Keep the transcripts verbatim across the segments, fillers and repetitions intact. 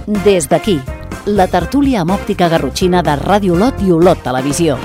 Des d'aquí, la tertúlia amb òptica garrotxina de Ràdio Olot i Olot Televisió.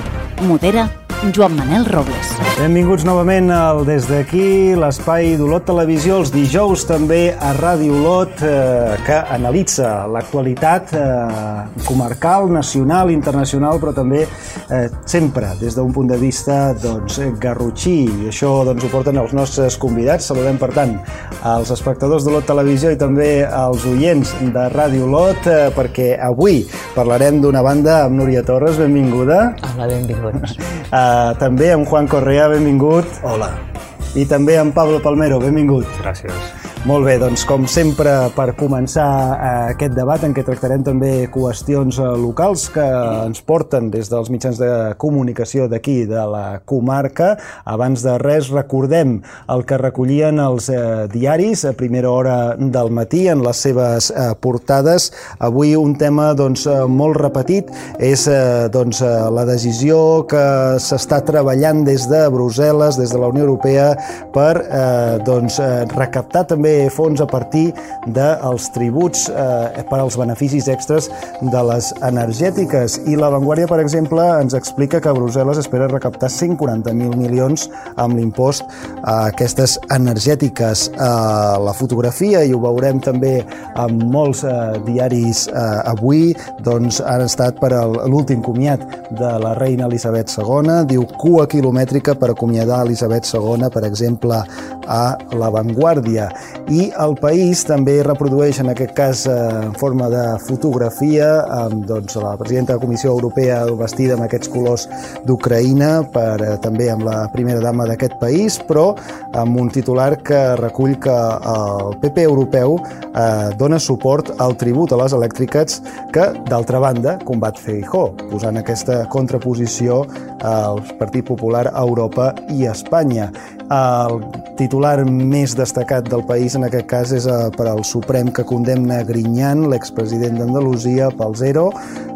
Modera Joan Manel Robles. Benvinguts novament al Des d'aquí, l'espai d'Olot Televisió, els dijous també a Ràdio Olot, eh, que analitza l'actualitat eh, comarcal, nacional, internacional, però també eh, sempre des d'un punt de vista doncs, garrotxí. I això doncs, ho porten els nostres convidats. Saludem, per tant, als espectadors d'Olot Televisió i també als oients de Ràdio Olot, eh, perquè avui parlarem d'una banda amb Núria Torres, benvinguda. Hola, benvinguts. Uh, també amb Juan Correa, benvingut. Hola. I també amb Pablo Palmero, benvingut. Gràcies. Molt bé, doncs com sempre, per començar eh, aquest debat en què tractarem també qüestions eh, locals que ens porten des dels mitjans de comunicació d'aquí, de la comarca. Abans de res, recordem el que recollien els eh, diaris a primera hora del matí en les seves eh, portades. Avui un tema doncs, eh, molt repetit és eh, doncs, eh, la decisió que s'està treballant des de Brussel·les, des de la Unió Europea, per eh, doncs, eh, recaptar també fons a partir dels tributs eh, per als beneficis extras de les energètiques. I La Vanguardia, per exemple, ens explica que Brussel·les espera recaptar cent quaranta mil milions amb l'impost a aquestes energètiques. Eh, la fotografia, i ho veurem també amb molts eh, diaris eh, avui, doncs han estat per l'últim comiat de la reina Elisabet segona. Diu cua quilomètrica per acomiadar Elisabet segona, per exemple, a La Vanguardia. I El País també reprodueix, en aquest cas en forma de fotografia, amb doncs, la presidenta de la Comissió Europea vestida amb aquests colors d'Ucraïna, per, eh, també amb la primera dama d'aquest país, però amb un titular que recull que el P P europeu eh, dona suport al tribut a les elèctriques que, d'altra banda, combat Feijóo, posant aquesta contraposició al Partit Popular a Europa i a Espanya. El titular més destacat del País en aquest cas és per al Suprem, que condemna Griñán, l'expresident d'Andalusia, pel zero,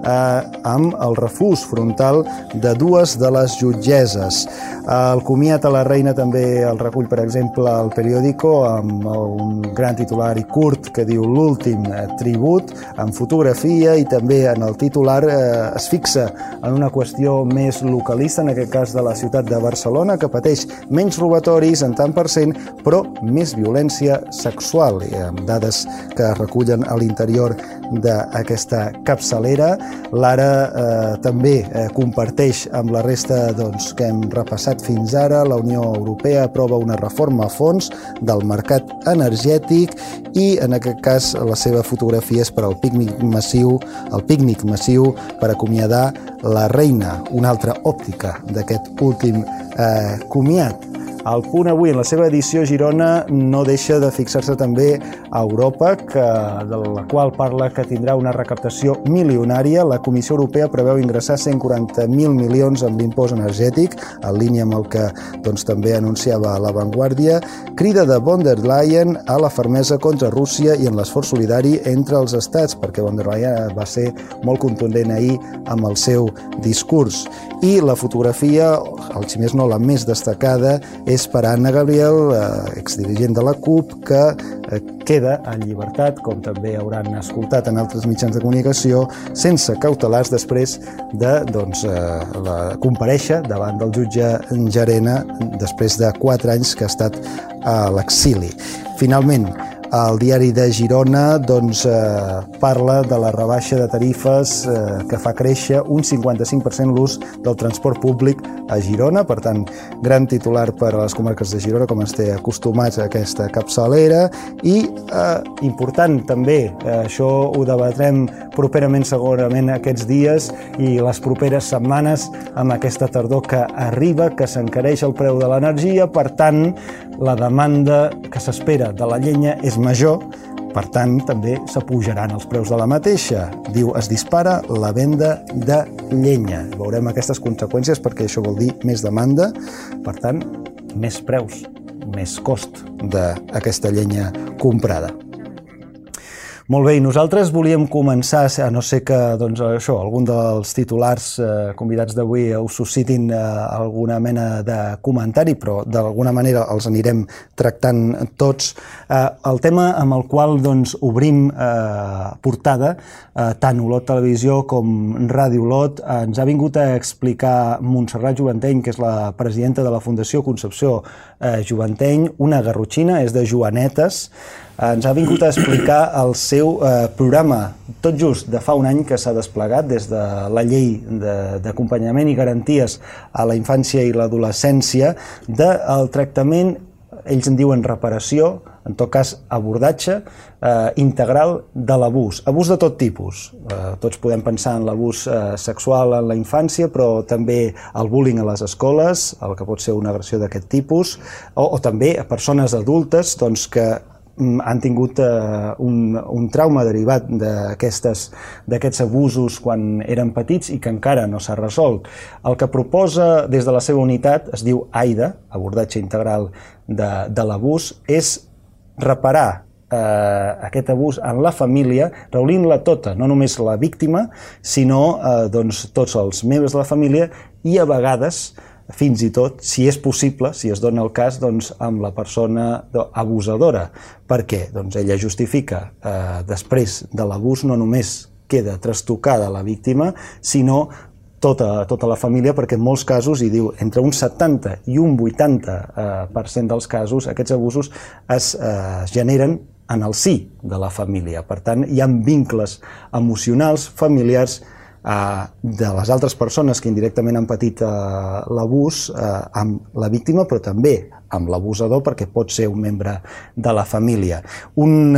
eh, amb el refús frontal de dues de les jutgesses. El comiat a la reina també el recull, per exemple, el Periódico, amb un gran titular i curt que diu l'últim tribut, amb fotografia, i també en el titular eh, es fixa en una qüestió més localista, en aquest cas de la ciutat de Barcelona, que pateix menys robatoris en tant per cent, però més violència sexual, i amb dades que es recullen a l'interior d'aquesta capçalera. L'Ara eh, també eh, comparteix amb la resta doncs, que hem repassat fins ara. La Unió Europea aprova una reforma a fons del mercat energètic i, en aquest cas, la seva fotografia és per al pícnic massiu, el pícnic massiu per acomiadar la reina, una altra òptica d'aquest últim eh, comiat. El Punt avui, en la seva edició, Girona no deixa de fixar-se també a Europa, que, de la qual parla que tindrà una recaptació milionària. La Comissió Europea preveu ingressar cent quaranta mil milions amb l'impost energètic, en línia amb el que doncs, també anunciava La Vanguardia. Crida de von der Leyen a la fermesa contra Rússia i en l'esforç solidari entre els estats, perquè von der Leyen va ser molt contundent ahir amb el seu discurs. I la fotografia, el si més no la més destacada, és per Anna Gabriel, eh, exdirigent de la CUP, que eh, queda en llibertat, com també hauran escoltat en altres mitjans de comunicació, sense cautelars després de doncs, eh, la, comparèixer davant del jutge Llarena després de quatre anys que ha estat a l'exili. Finalment, el diari de Girona doncs, eh, parla de la rebaixa de tarifes eh, que fa créixer un cinquanta-cinc per cent l'ús del transport públic a Girona. Per tant, gran titular per a les comarques de Girona, com ens té acostumats a aquesta capçalera. I eh, important també, eh, això ho debatrem properament segurament aquests dies i les properes setmanes amb aquesta tardor que arriba, que s'encareix el preu de l'energia. Per tant, la demanda que s'espera de la llenya és major, per tant, també s'apujaran els preus de la mateixa. Diu, es dispara la venda de llenya. Veurem aquestes conseqüències perquè això vol dir més demanda, per tant, més preus, més cost d'aquesta llenya comprada. Molt bé, i nosaltres volíem començar, a no ser que doncs, això, algun dels titulars eh, convidats d'avui us suscitin eh, alguna mena de comentari, però d'alguna manera els anirem tractant tots. Eh, el tema amb el qual doncs, obrim eh, portada, eh, tant Olot Televisió com Ràdio Olot, eh, ens ha vingut a explicar Montserrat Juvanteny, que és la presidenta de la Fundació Concepció eh, Juvanteny, una garrotxina, és de Joanetes. Ens ha vingut a explicar el seu eh, programa, tot just de fa un any que s'ha desplegat des de la llei d'acompanyament i garanties a la infància i l'adolescència, del tractament, ells en diuen reparació, en tot cas abordatge eh, integral de l'abús. Abús de tot tipus. Eh, tots podem pensar en l'abús eh, sexual en la infància, però també el bullying a les escoles, el que pot ser una agressió d'aquest tipus, o, o també a persones adultes doncs, que han tingut eh, un, un trauma derivat d'aquests abusos quan eren petits i que encara no s'ha resolt. El que proposa des de la seva unitat, es diu AIDA, abordatge integral de, de l'abús, és reparar eh, aquest abús en la família, reunint-la tota, no només la víctima, sinó eh, doncs, tots els membres de la família i a vegades fins i tot, si és possible, si es dona el cas, doncs, amb la persona abusadora. Per què? Doncs ella justifica, eh, després de l'abús no només queda trastocada la víctima, sinó tota, tota la família, perquè en molts casos, i diu, entre un setanta i un vuitanta per cent dels casos, aquests abusos es eh, generen en el si de la família. Per tant, hi ha vincles emocionals, familiars, de les altres persones que indirectament han patit l'abús amb la víctima, però també amb l'abusador, perquè pot ser un membre de la família. Un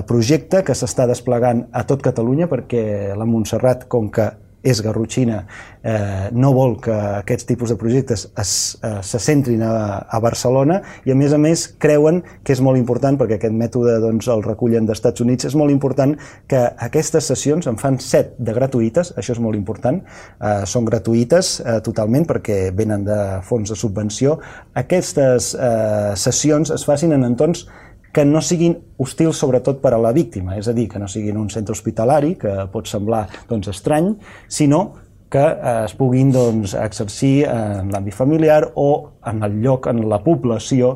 projecte que s'està desplegant a tot Catalunya, perquè la Montserrat, com que és garrotxina, eh, no vol que aquests tipus de projectes es, eh, se centrin a, a Barcelona, i a més a més creuen que és molt important, perquè aquest mètode doncs, el recullen dels Estats Units, és molt important que aquestes sessions, en fan set de gratuïtes, això és molt important, eh, són gratuïtes eh, totalment perquè venen de fons de subvenció. Aquestes eh, sessions es facin en entorns que no siguin hostils sobretot per a la víctima, és a dir, que no siguin un centre hospitalari, que pot semblar doncs, estrany, sinó que eh, es puguin doncs, exercir en l'àmbit familiar o en el lloc, en la població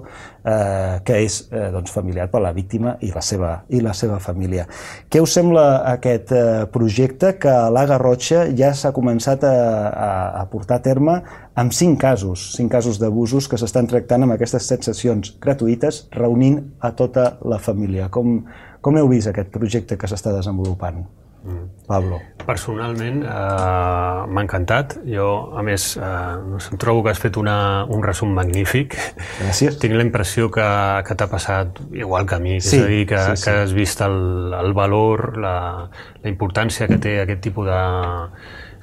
eh, que és eh, doncs, familiar per a la víctima i la seva, i la seva família. Què us sembla aquest eh, projecte que a la Garrotxa ja s'ha començat a, a, a portar a terme amb cinc casos, cinc casos d'abusos que s'estan tractant amb aquestes set sessions gratuïtes, reunint a tota la família? Com, com heu vist aquest projecte que s'està desenvolupant? Mm. Pablo. Personalment eh, m'ha encantat. Jo, a més, eh, em trobo que has fet una, un resum magnífic. Gràcies. Tinc la impressió que, que t'ha passat igual que a mi, sí, és a dir, que, sí, sí. que has vist el, el valor, la, la importància que té aquest tipus de...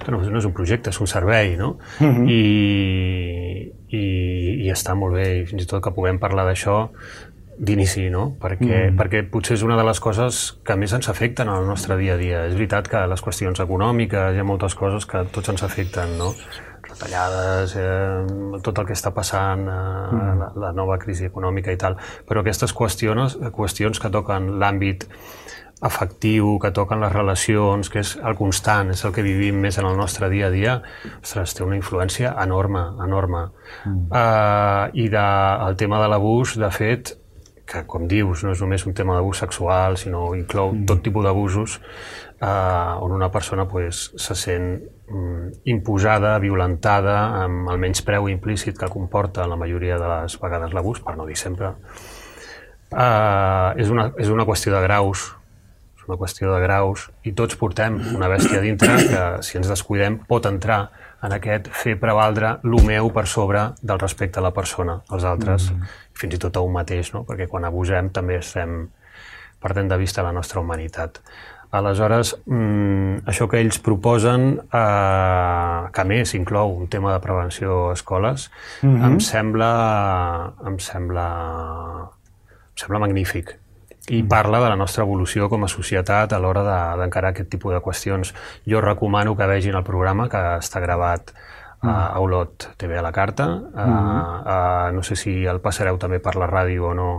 que no, no és un projecte, és un servei, no? Uh-huh. I, i, i està molt bé, i fins i tot que puguem parlar d'això d'inici, no? Perquè, mm. perquè potser és una de les coses que més ens afecten al nostre dia a dia. És veritat que les qüestions econòmiques, hi ha moltes coses que tots ens afecten, no? Retallades, eh, tot el que està passant, eh, mm. la, la nova crisi econòmica i tal, però aquestes qüestions, qüestions que toquen l'àmbit afectiu, que toquen les relacions, que és el constant, és el que vivim més en el nostre dia a dia, ostres, té una influència enorme, enorme. Mm. Uh, I de, el tema de l'abús, de fet, que, com dius, no és només un tema d'abús sexual, sinó inclou mm. tot tipus d'abusos eh, on una persona pues, se sent mm, imposada, violentada, amb el menyspreu implícit que comporta la majoria de les vegades l'abús, per no dir sempre. Eh, és, una, és una qüestió de graus, és una qüestió de graus, i tots portem una bèstia dintre que, si ens descuidem, pot entrar en aquest fer prevaldre el meu per sobre del respecte a la persona, als altres, mm. fins i tot a un mateix, no? Perquè quan abusem també estem perdent de vista la nostra humanitat. Aleshores, mmm, això que ells proposen, eh, que a més inclou un tema de prevenció a escoles, mm-hmm. em sembla, em sembla, em sembla magnífic. I parla de la nostra evolució com a societat a l'hora d'encarar aquest tipus de qüestions. Jo recomano que vegin el programa, que està gravat a Olot T V a la carta. Uh, uh, no sé si el passareu també per la ràdio o no,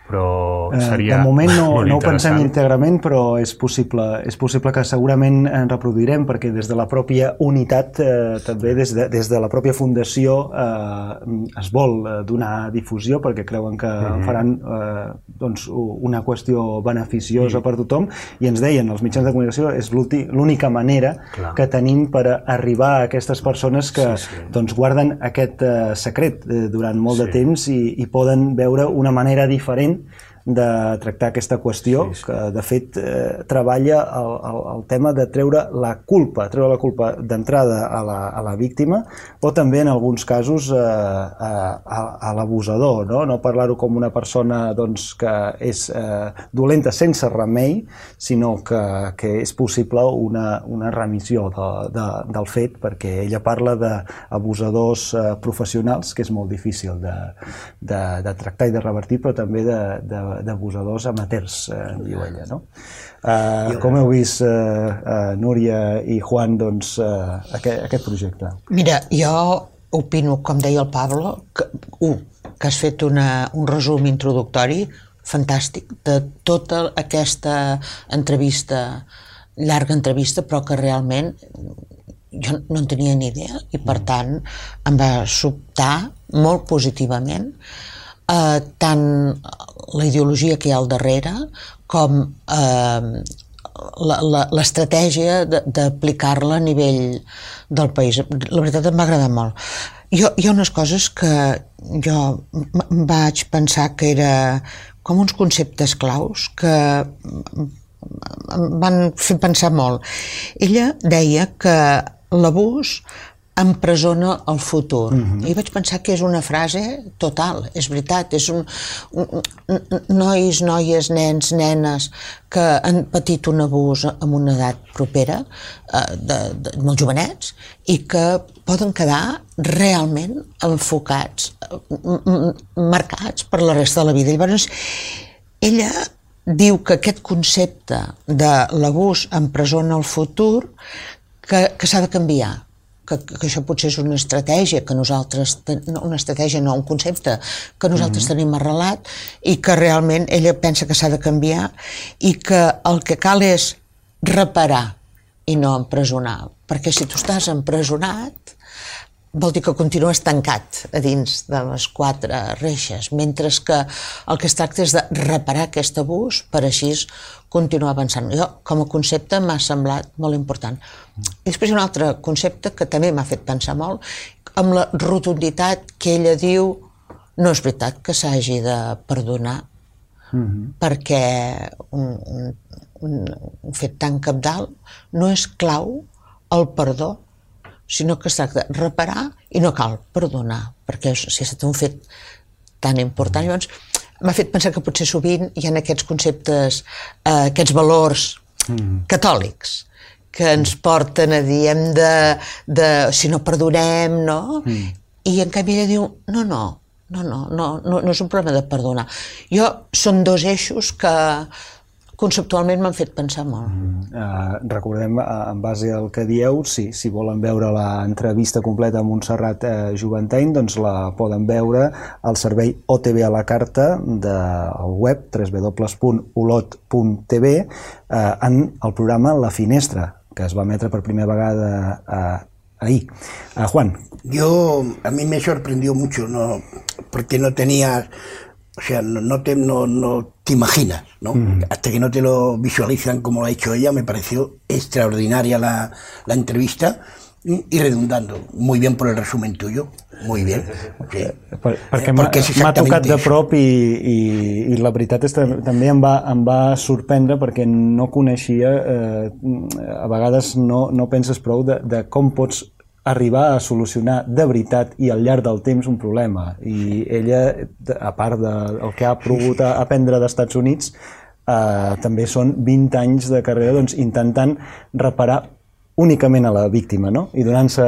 però seria de moment no, molt no ho pensem interessant. íntegrament, però és possible, és possible que segurament en reproduirem, perquè des de la pròpia unitat, eh, també des de, des de la pròpia fundació, eh, es vol donar difusió perquè creuen que mm-hmm. faran eh, doncs, una qüestió beneficiosa mm. per tothom, i ens deien, els mitjans de comunicació és l'única manera Clar. que tenim per arribar a aquestes persones que sí, sí. doncs, guarden aquest eh, secret eh, durant molt sí. de temps i, i poden veure una manera diferent de tractar aquesta qüestió, sí, sí. que de fet eh, treballa el, el, el tema de treure la culpa, treure la culpa d'entrada a, la, a la víctima, o també en alguns casos eh, a, a, a l'abusador, no, no parlar-ho com una persona doncs, que és eh, dolenta sense remei, sinó que, que és possible una, una remissió de, de, del fet, perquè ella parla d'abusadors eh, professionals, que és molt difícil de, de, de tractar i de revertir, però també de, de d'abusadors amateurs, eh, diu ella, no? Uh, com heu vist, uh, uh, Núria i Juan, doncs, uh, aquest, aquest projecte? Mira, jo opino, com deia el Pablo, que, uh, que has fet una, un resum introductori fantàstic de tota aquesta entrevista, llarga entrevista, però que realment jo no en tenia ni idea i, per tant, em va sobtar molt positivament eh, tant la ideologia que hi ha al darrere com eh, l'estratègia d'aplicar-la a nivell del país. La veritat em va agradar molt. Jo, hi ha unes coses que jo vaig pensar que era com uns conceptes claus que em van fer pensar molt. Ella deia que l'abús empresona el futur. Mm-hmm. I vaig pensar que és una frase total, és veritat, és un, un, un nois, noies, nens, nenes que han patit un abús en una edat propera, eh, de, de, molt jovenets, i que poden quedar realment enfocats, marcats per la resta de la vida. Llavors, ella diu que aquest concepte de l'abús empresona el futur que, que s'ha de canviar. Que, que això potser és una estratègia que nosaltres, no, una estratègia no, un concepte que nosaltres mm-hmm. tenim arrelat i que realment ella pensa que s'ha de canviar i que el que cal és reparar i no empresonar, perquè si tu estàs empresonat vol dir que continues tancat a dins de les quatre reixes, mentre que el que es tracta és de reparar aquest abús per així continuar avançant. Jo, com a concepte, m'ha semblat molt important. I després hi ha un altre concepte que també m'ha fet pensar molt, amb la rotunditat que ella diu no és veritat que s'hagi de perdonar, mm-hmm. perquè un, un, un, un fet tan cabdal no és clau el perdó, sinó que es tracta de reparar i no cal perdonar, perquè si ha estat un fet tan important. Llavors, m'ha fet pensar que potser sovint hi ha aquests conceptes, eh, aquests valors mm. catòlics, que ens porten a dir hem de, de si no perdonem, no? Mm. I en canvi ella diu, no, no, no, no, no, no, no és un problema de perdonar. Jo, són dos eixos que conceptualment m'han fet pensar molt. Mm, uh, recordem, uh, en base al que dieu, sí, si volen veure l'entrevista completa amb Montserrat uh, Juventeny, doncs la poden veure al servei O T V a la carta del web w w w punt olot punt t v uh, en el programa La Finestra, que es va emetre per primera vegada uh, ahí. Uh, Juan. Yo, a mí me sorprendió mucho, ¿no? Porque no tenía... O sea, no, no, te, no, no te imaginas, ¿no? Mm. Hasta que no te lo visualizan como lo ha hecho ella, me pareció extraordinaria la, la entrevista y redundando. Muy bien por el resumen tuyo, muy bien. Sí. Per, perquè m'ha tocat de prop i, i, i la veritat és que també em va, em va sorprendre perquè no coneixia, eh, a vegades no, no penses prou de, de com pots arribar a solucionar de veritat i al llarg del temps un problema. I ella, a part del que ha pogut aprendre dels Estats Units, eh, també són vint anys de carrera doncs, intentant reparar únicament a la víctima, no? I donant-se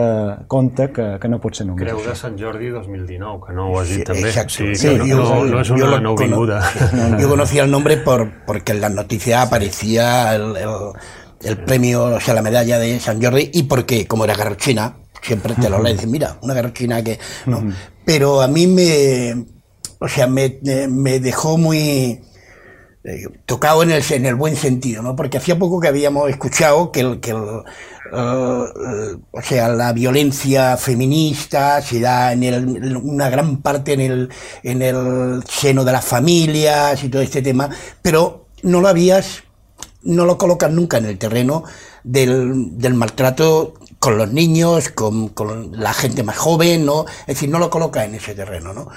compte que, que no pot ser només. Creu de Sant Jordi dos mil dinou, que no ho has dit sí, també. Exacto. Sí, sí, no, yo, no, no es una nouvinguda. No, no. Yo conocía el nombre por, porque en las noticias aparecía el, el, el premio, o sea, la medalla de Sant Jordi, y porque, como era garrochina, siempre te lo dicen, mira, una garrochina que... ¿no? Uh-huh. Pero a mí me, o sea, me, me dejó muy eh, tocado en el, en el buen sentido, ¿no? Porque hacía poco que habíamos escuchado que, el, que el, uh, uh, o sea, la violencia feminista se da en el, una gran parte en el, en el seno de las familias y todo este tema, pero no lo habías, no lo colocas nunca en el terreno del, del maltrato con los niños, con, con la gente más joven, ¿no? Es decir, no lo colocas en ese terreno, ¿no?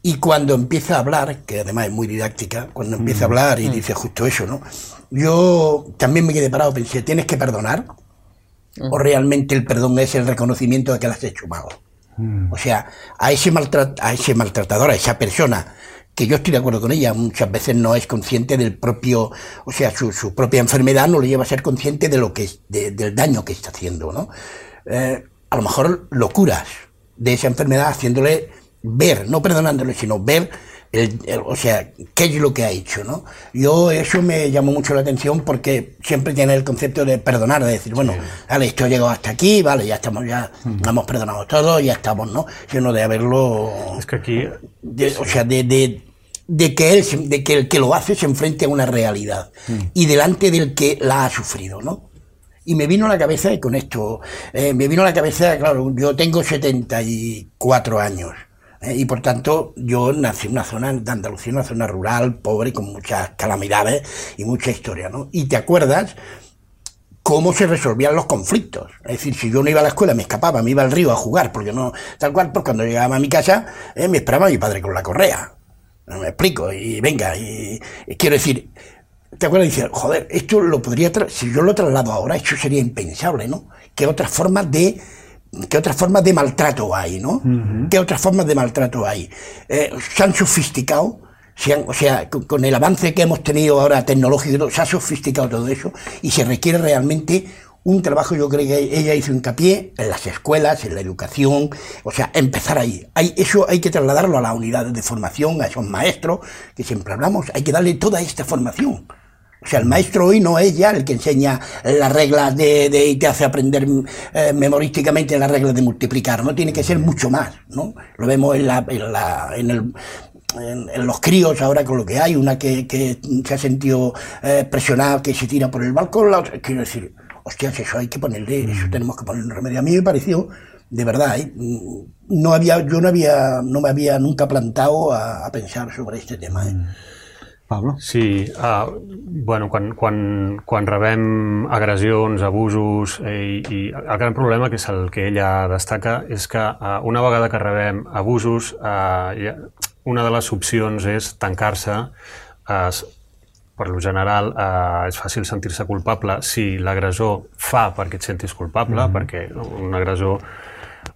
Y cuando empieza a hablar, que además es muy didáctica, cuando empieza a hablar y dice justo eso, ¿no? Yo también me quedé parado, pensé, ¿tienes que perdonar? ¿O realmente el perdón es el reconocimiento de que la has hecho mal? O sea, a ese, maltrat a ese maltratador, a esa persona, que yo estoy de acuerdo con ella, muchas veces no es consciente del propio, o sea, su, su propia enfermedad no le lleva a ser consciente de lo que es, de, del daño que está haciendo, ¿no? Eh, a lo mejor lo curas de esa enfermedad haciéndole ver, no perdonándole, sino ver, el, el, o sea, qué es lo que ha hecho, ¿no? Yo, eso me llamó mucho la atención porque siempre tiene el concepto de perdonar, de decir, bueno, sí, vale, esto ha llegado hasta aquí, vale, ya estamos, ya mm. hemos perdonado todo, ya estamos, ¿no? Sino de haberlo... Es que aquí... De, o sea, de... de de que él, de que el que lo hace se enfrente a una realidad mm. y delante del que la ha sufrido, ¿no? Y me vino a la cabeza, y con esto, eh, me vino a la cabeza, claro, yo tengo setenta y cuatro años, eh, y por tanto yo nací en una zona de Andalucía, una zona rural, pobre, con muchas calamidades y mucha historia, ¿no? Y te acuerdas cómo se resolvían los conflictos. Es decir, si yo no iba a la escuela, me escapaba, me iba al río a jugar, porque no, tal cual, pues cuando llegaba a mi casa, eh, me esperaba mi padre con la correa. No me explico, y venga, y, y quiero decir, ¿te acuerdas? Dice, joder, esto lo podría, si yo lo traslado ahora, esto sería impensable, ¿no? ¿Qué otras formas de, qué otras formas de maltrato hay, ¿no? Uh-huh. ¿Qué otras formas de maltrato hay? Eh, se han sofisticado, se han, o sea, con, con el avance que hemos tenido ahora tecnológico, se ha sofisticado todo eso, y se requiere realmente un trabajo, yo creo que ella hizo hincapié en las escuelas, en la educación, o sea, empezar ahí. Hay, eso hay que trasladarlo a las unidades de formación, a esos maestros que siempre hablamos, hay que darle toda esta formación. O sea, el maestro hoy no es ya el que enseña las reglas de, de y te hace aprender eh, memorísticamente las reglas de multiplicar, ¿no? Tiene que ser mucho más, ¿no? Lo vemos en, la, en, la, en el... En, en los críos ahora con lo que hay, una que, que se ha sentido eh, presionada, que se tira por el balcón, la otra, quiero decir, hostias, eso hay que ponerle, eso tenemos que ponerle un remedio. A mí me pareció, de verdad, ¿eh? no había, yo no había, no me había nunca plantado a, a pensar sobre este tema. ¿eh? Pablo? Sí, uh, bueno, quan, quan, quan rebem agressions, abusos, eh, i el gran problema, que és el que ella destaca, és que uh, una vegada que rebem abusos, uh, una de les opcions és tancar-se. Uh, per lo general, uh, és fàcil sentir-se culpable si l'agressor fa perquè et sentis culpable, mm. perquè un agressor,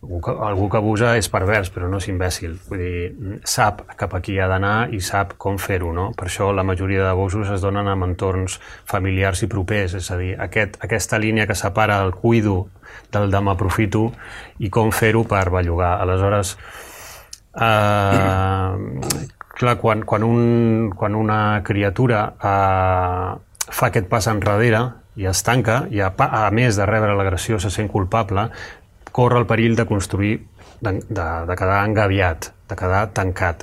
algú que, algú que abusa és pervers, però no és imbècil. Vull dir, sap cap a qui ha d'anar i sap com fer-ho, no? Per això la majoria d'abusos es donen en entorns familiars i propers, és a dir, aquest, aquesta línia que separa el cuido del de m'aprofito i com fer-ho per bellugar. Aleshores, eh, clar, quan, quan, un, quan una criatura eh, fa aquest pas enrere i es tanca, i a, a més de rebre l'agressió se sent culpable, corre el perill de construir, de, de, de quedar engaviat, de quedar tancat.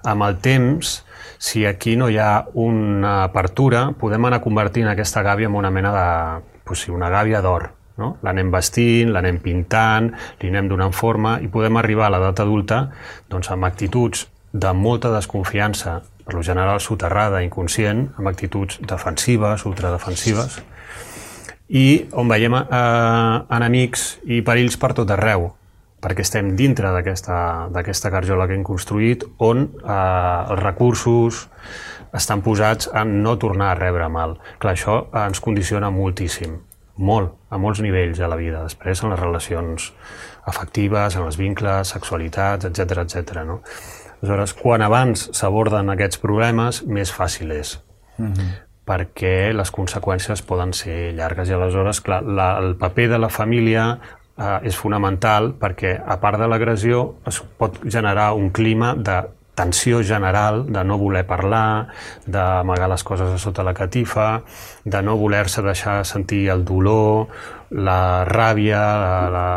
Amb el temps, si aquí no hi ha una apertura, podem anar convertint aquesta gàbia en una mena de... Pues sí, una gàbia d'or, no? L'anem vestint, l'anem pintant, li anem donant forma i podem arribar a l'edat adulta doncs, amb actituds de molta desconfiança, per lo general soterrada, inconscient, amb actituds defensives, ultradefensives, i on veiem eh, enemics i perills per tot arreu, perquè estem dintre d'aquesta garjola que hem construït, on eh, els recursos estan posats en no tornar a rebre mal. Clar, això ens condiciona moltíssim, molt, a molts nivells a la vida. Després en les relacions afectives, en els vincles, sexualitats, etcètera, etcètera, no? Aleshores, quan abans s'aborden aquests problemes, més fàcil és. Mm-hmm. perquè les conseqüències poden ser llargues. I aleshores, clar, la, el paper de la família eh, és fonamental perquè, a part de l'agressió, es pot generar un clima de tensió general, de no voler parlar, d'amagar les coses a sota la catifa, de no voler-se deixar sentir el dolor, la ràbia, la, la,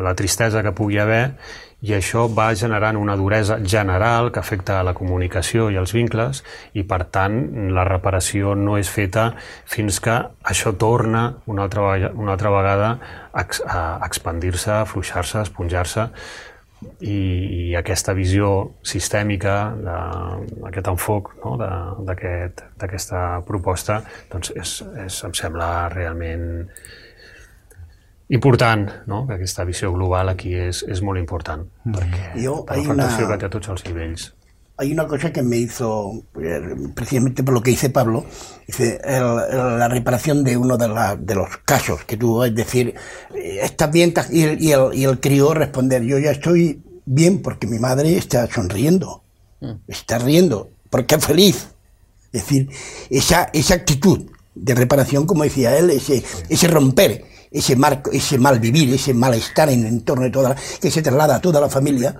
la tristesa que pugui haver, i això va generant una duresa general que afecta a la comunicació i els vincles, i per tant la reparació no és feta fins que això torna una altra vegada, una altra vegada a, a expandir-se, a afluixar-se, a esponjar-se, i, i aquesta visió sistèmica, aquest enfoc, no? d'aquesta aquest, proposta, doncs és, és, em sembla realment important, no? Que aquesta visió global aquí és, és molt important, mm. perquè Yo, per l'afectació una... que té a tots els nivells. Hay una cosa que me hizo, precisamente por lo que dice Pablo, dice el, el, la reparación de uno de, la, de los casos que tuvo, es decir, estás bien, y el, y, el, y el crío responder, yo ya estoy bien porque mi madre está sonriendo, mm. está riendo, porque es feliz. Es decir, esa, esa actitud de reparación, como decía él, ese, ese romper, ese marco, ese mal vivir, ese malestar en el entorno de toda la, que se traslada a toda la familia,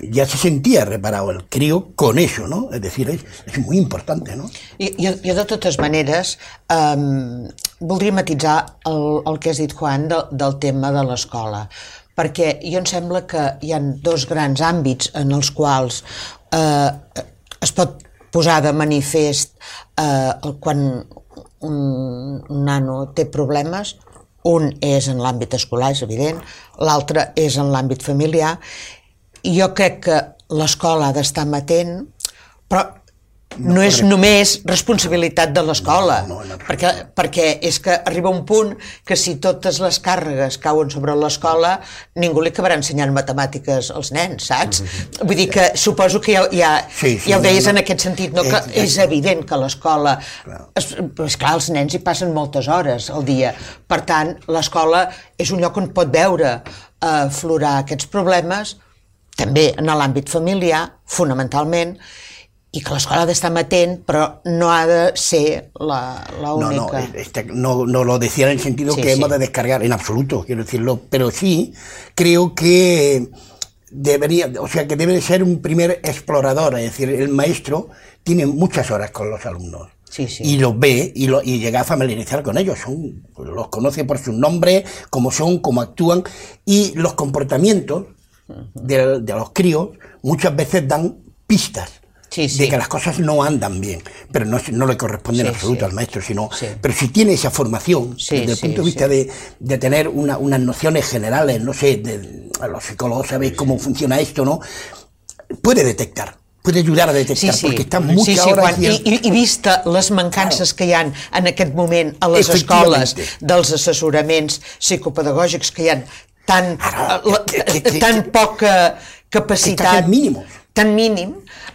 ya se sentía reparado el crío con eso, ¿no? Es decir, es, es muy importante, ¿no? Jo, jo de totes maneres, um, voldria matisar el, el que has dit, Juan, de, del tema de l'escola, perquè jo em sembla que hi ha dos grans àmbits en els quals eh, es pot posar de manifest eh, quan un, un nano té problemes. Un és en l'àmbit escolar, és evident, l'altre és en l'àmbit familiar. I jo crec que l'escola ha d'estar amatent, però no, no és només responsabilitat de l'escola, no, no, no, perquè, perquè és que arriba un punt que si totes les càrregues cauen sobre l'escola, ningú li acabarà ensenyant matemàtiques als nens, saps? Mm-hmm. Vull dir que suposo que ja, ja, sí, sí, ja ho deies no, no. en aquest sentit, no? Que és, és evident que l'escola... És, és clar, els nens hi passen moltes hores al dia, per tant, l'escola és un lloc on pot veure eh, florar aquests problemes, també en l'àmbit familiar, fonamentalment, y que l'escola ha d'estar amatent, però no ha de ser la, la única. No, no, este, no, no lo decía en el sentido sí, que sí. hemos de descargar, en absoluto, quiero decirlo, pero sí creo que debería, o sea, que debe de ser un primer explorador, es decir, el maestro tiene muchas horas con los alumnos. Sí, sí. Y los ve y, lo, y llega a familiarizar con ellos, son, los conoce por sus nombres, cómo son, cómo actúan, y los comportamientos de, de los críos muchas veces dan pistas. Sí, sí. De que las cosas no andan bien, pero no, no le corresponde sí, en absoluto sí. al maestro, sino, sí. pero si tiene esa formación, sí, desde el sí, punto de vista sí. de, de tener una, unas nociones generales, no sé, de, los psicólogos sabéis cómo funciona esto, ¿no? Puede detectar, puede ayudar a detectar, sí, sí. perquè està mucha sí, sí, hora... Quan, i, i, I vista les mancances claro. que hi ha en aquest moment a les escoles dels assessoraments psicopedagògics que hi ha tan, Ara, la, que, que, que, tan poca capacitat... Que mínim. tan mínim,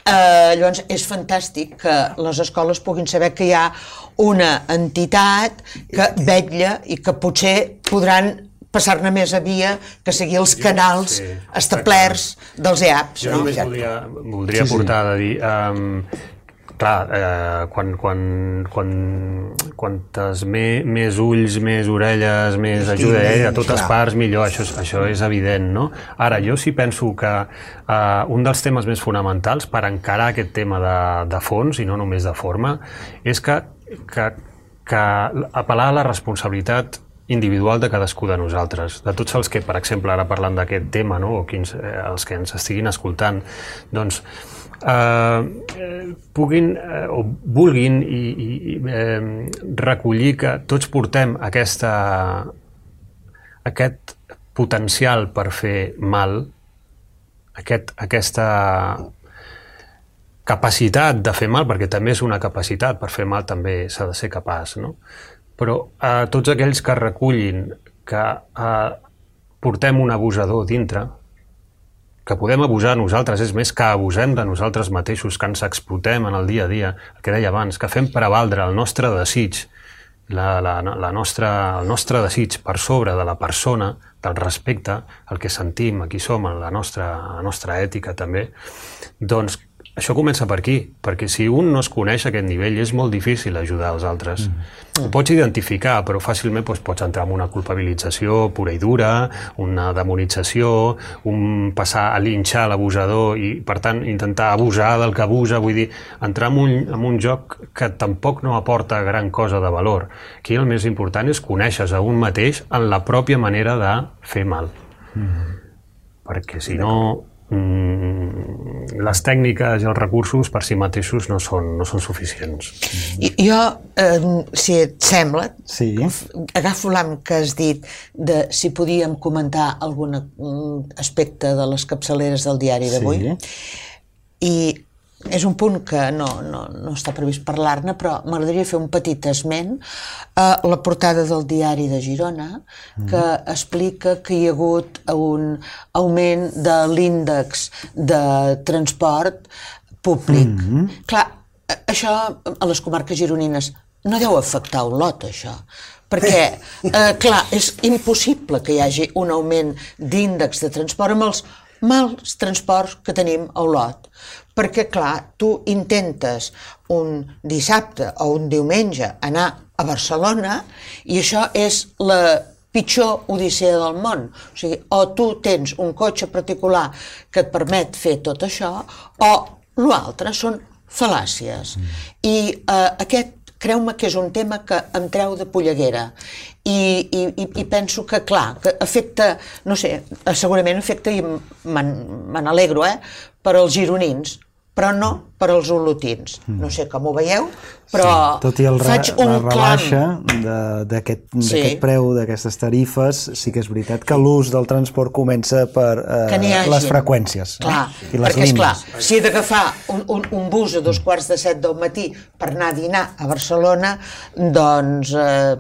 eh, llavors és fantàstic que les escoles puguin saber que hi ha una entitat que vetlla i que potser podran passar-ne més a via que seguir els canals sí, establerts dels E A Ps. Jo no? només voldria, voldria sí, portar sí. a dir... Um, clar, eh, quan, quan, quan, quantes me, més ulls, més orelles, més ajuda eh, a totes parts, millor, això, això és evident, no? Ara, jo sí penso que eh, un dels temes més fonamentals per encarar aquest tema de, de fons, i no només de forma, és que, que, que apel·lar a la responsabilitat individual de cadascú de nosaltres, de tots els que, per exemple, ara parlant d'aquest tema, no? O quins, eh, els que ens estiguin escoltant, doncs, Uh, puguin uh, o vulguin i, i uh, recollir que tots portem aquesta, aquest potencial per fer mal, aquest, aquesta capacitat de fer mal, perquè també és una capacitat, per fer mal també s'ha de ser capaç, no? Però uh, tots aquells que recullin que uh, portem un abusador dintre, que podem abusar nosaltres, és més que abusem de nosaltres mateixos, que ens explotem en el dia a dia, el que deia abans, que fem prevaldre el nostre desig, la, la, la nostra, el nostre desig per sobre de la persona, del respecte, el que sentim, qui som, la nostra, la nostra ètica també, doncs això comença per aquí, perquè si un no es coneix a aquest nivell és molt difícil ajudar els altres. Mm. Ho pots identificar, però fàcilment doncs, pots entrar en una culpabilització pura i dura, una demonització, un passar a linxar l'abusador i, per tant, intentar abusar del que abusa, vull dir, entrar en un, en un joc que tampoc no aporta gran cosa de valor. Aquí el més important és conèixer a un mateix en la pròpia manera de fer mal. Mm. perquè si no les tècniques i els recursos per si mateixos no són, no són suficients. I, jo, eh, si et sembla, sí. agafo l'am que has dit de si podíem comentar algun aspecte de les capçaleres del diari d'avui. Sí. I és un punt que no, no, no està previst parlar-ne, però m'agradaria fer un petit esment a la portada del diari de Girona, que explica que hi ha hagut un augment de l'índex de transport públic. Mm-hmm. Clar, això a les comarques gironines no deu afectar Olot, això. Perquè, eh, clar, és impossible que hi hagi un augment d'índex de transport amb els mals transports que tenim a Olot. Perquè, clar, tu intentes un dissabte o un diumenge anar a Barcelona i això és la pitjor odissea del món. O sigui, o tu tens un cotxe particular que et permet fer tot això, o l'altre són fal·làcies. I eh, aquest, creu-me que és un tema que em treu de polleguera. I, i, i penso que, clar, que afecta, no sé, segurament afecta, i me n'alegro, eh, per als gironins, però no per als olotins. No sé com ho veieu, però sí, tot i el faig un la rebaixa clam. d'aquest sí. preu, d'aquestes tarifes, sí que és veritat que l'ús del transport comença per eh, les freqüències. Clar, eh? I les perquè, línies. esclar, si he d'agafar un, un, un bus a dos quarts de set del matí per anar a dinar a Barcelona, doncs eh,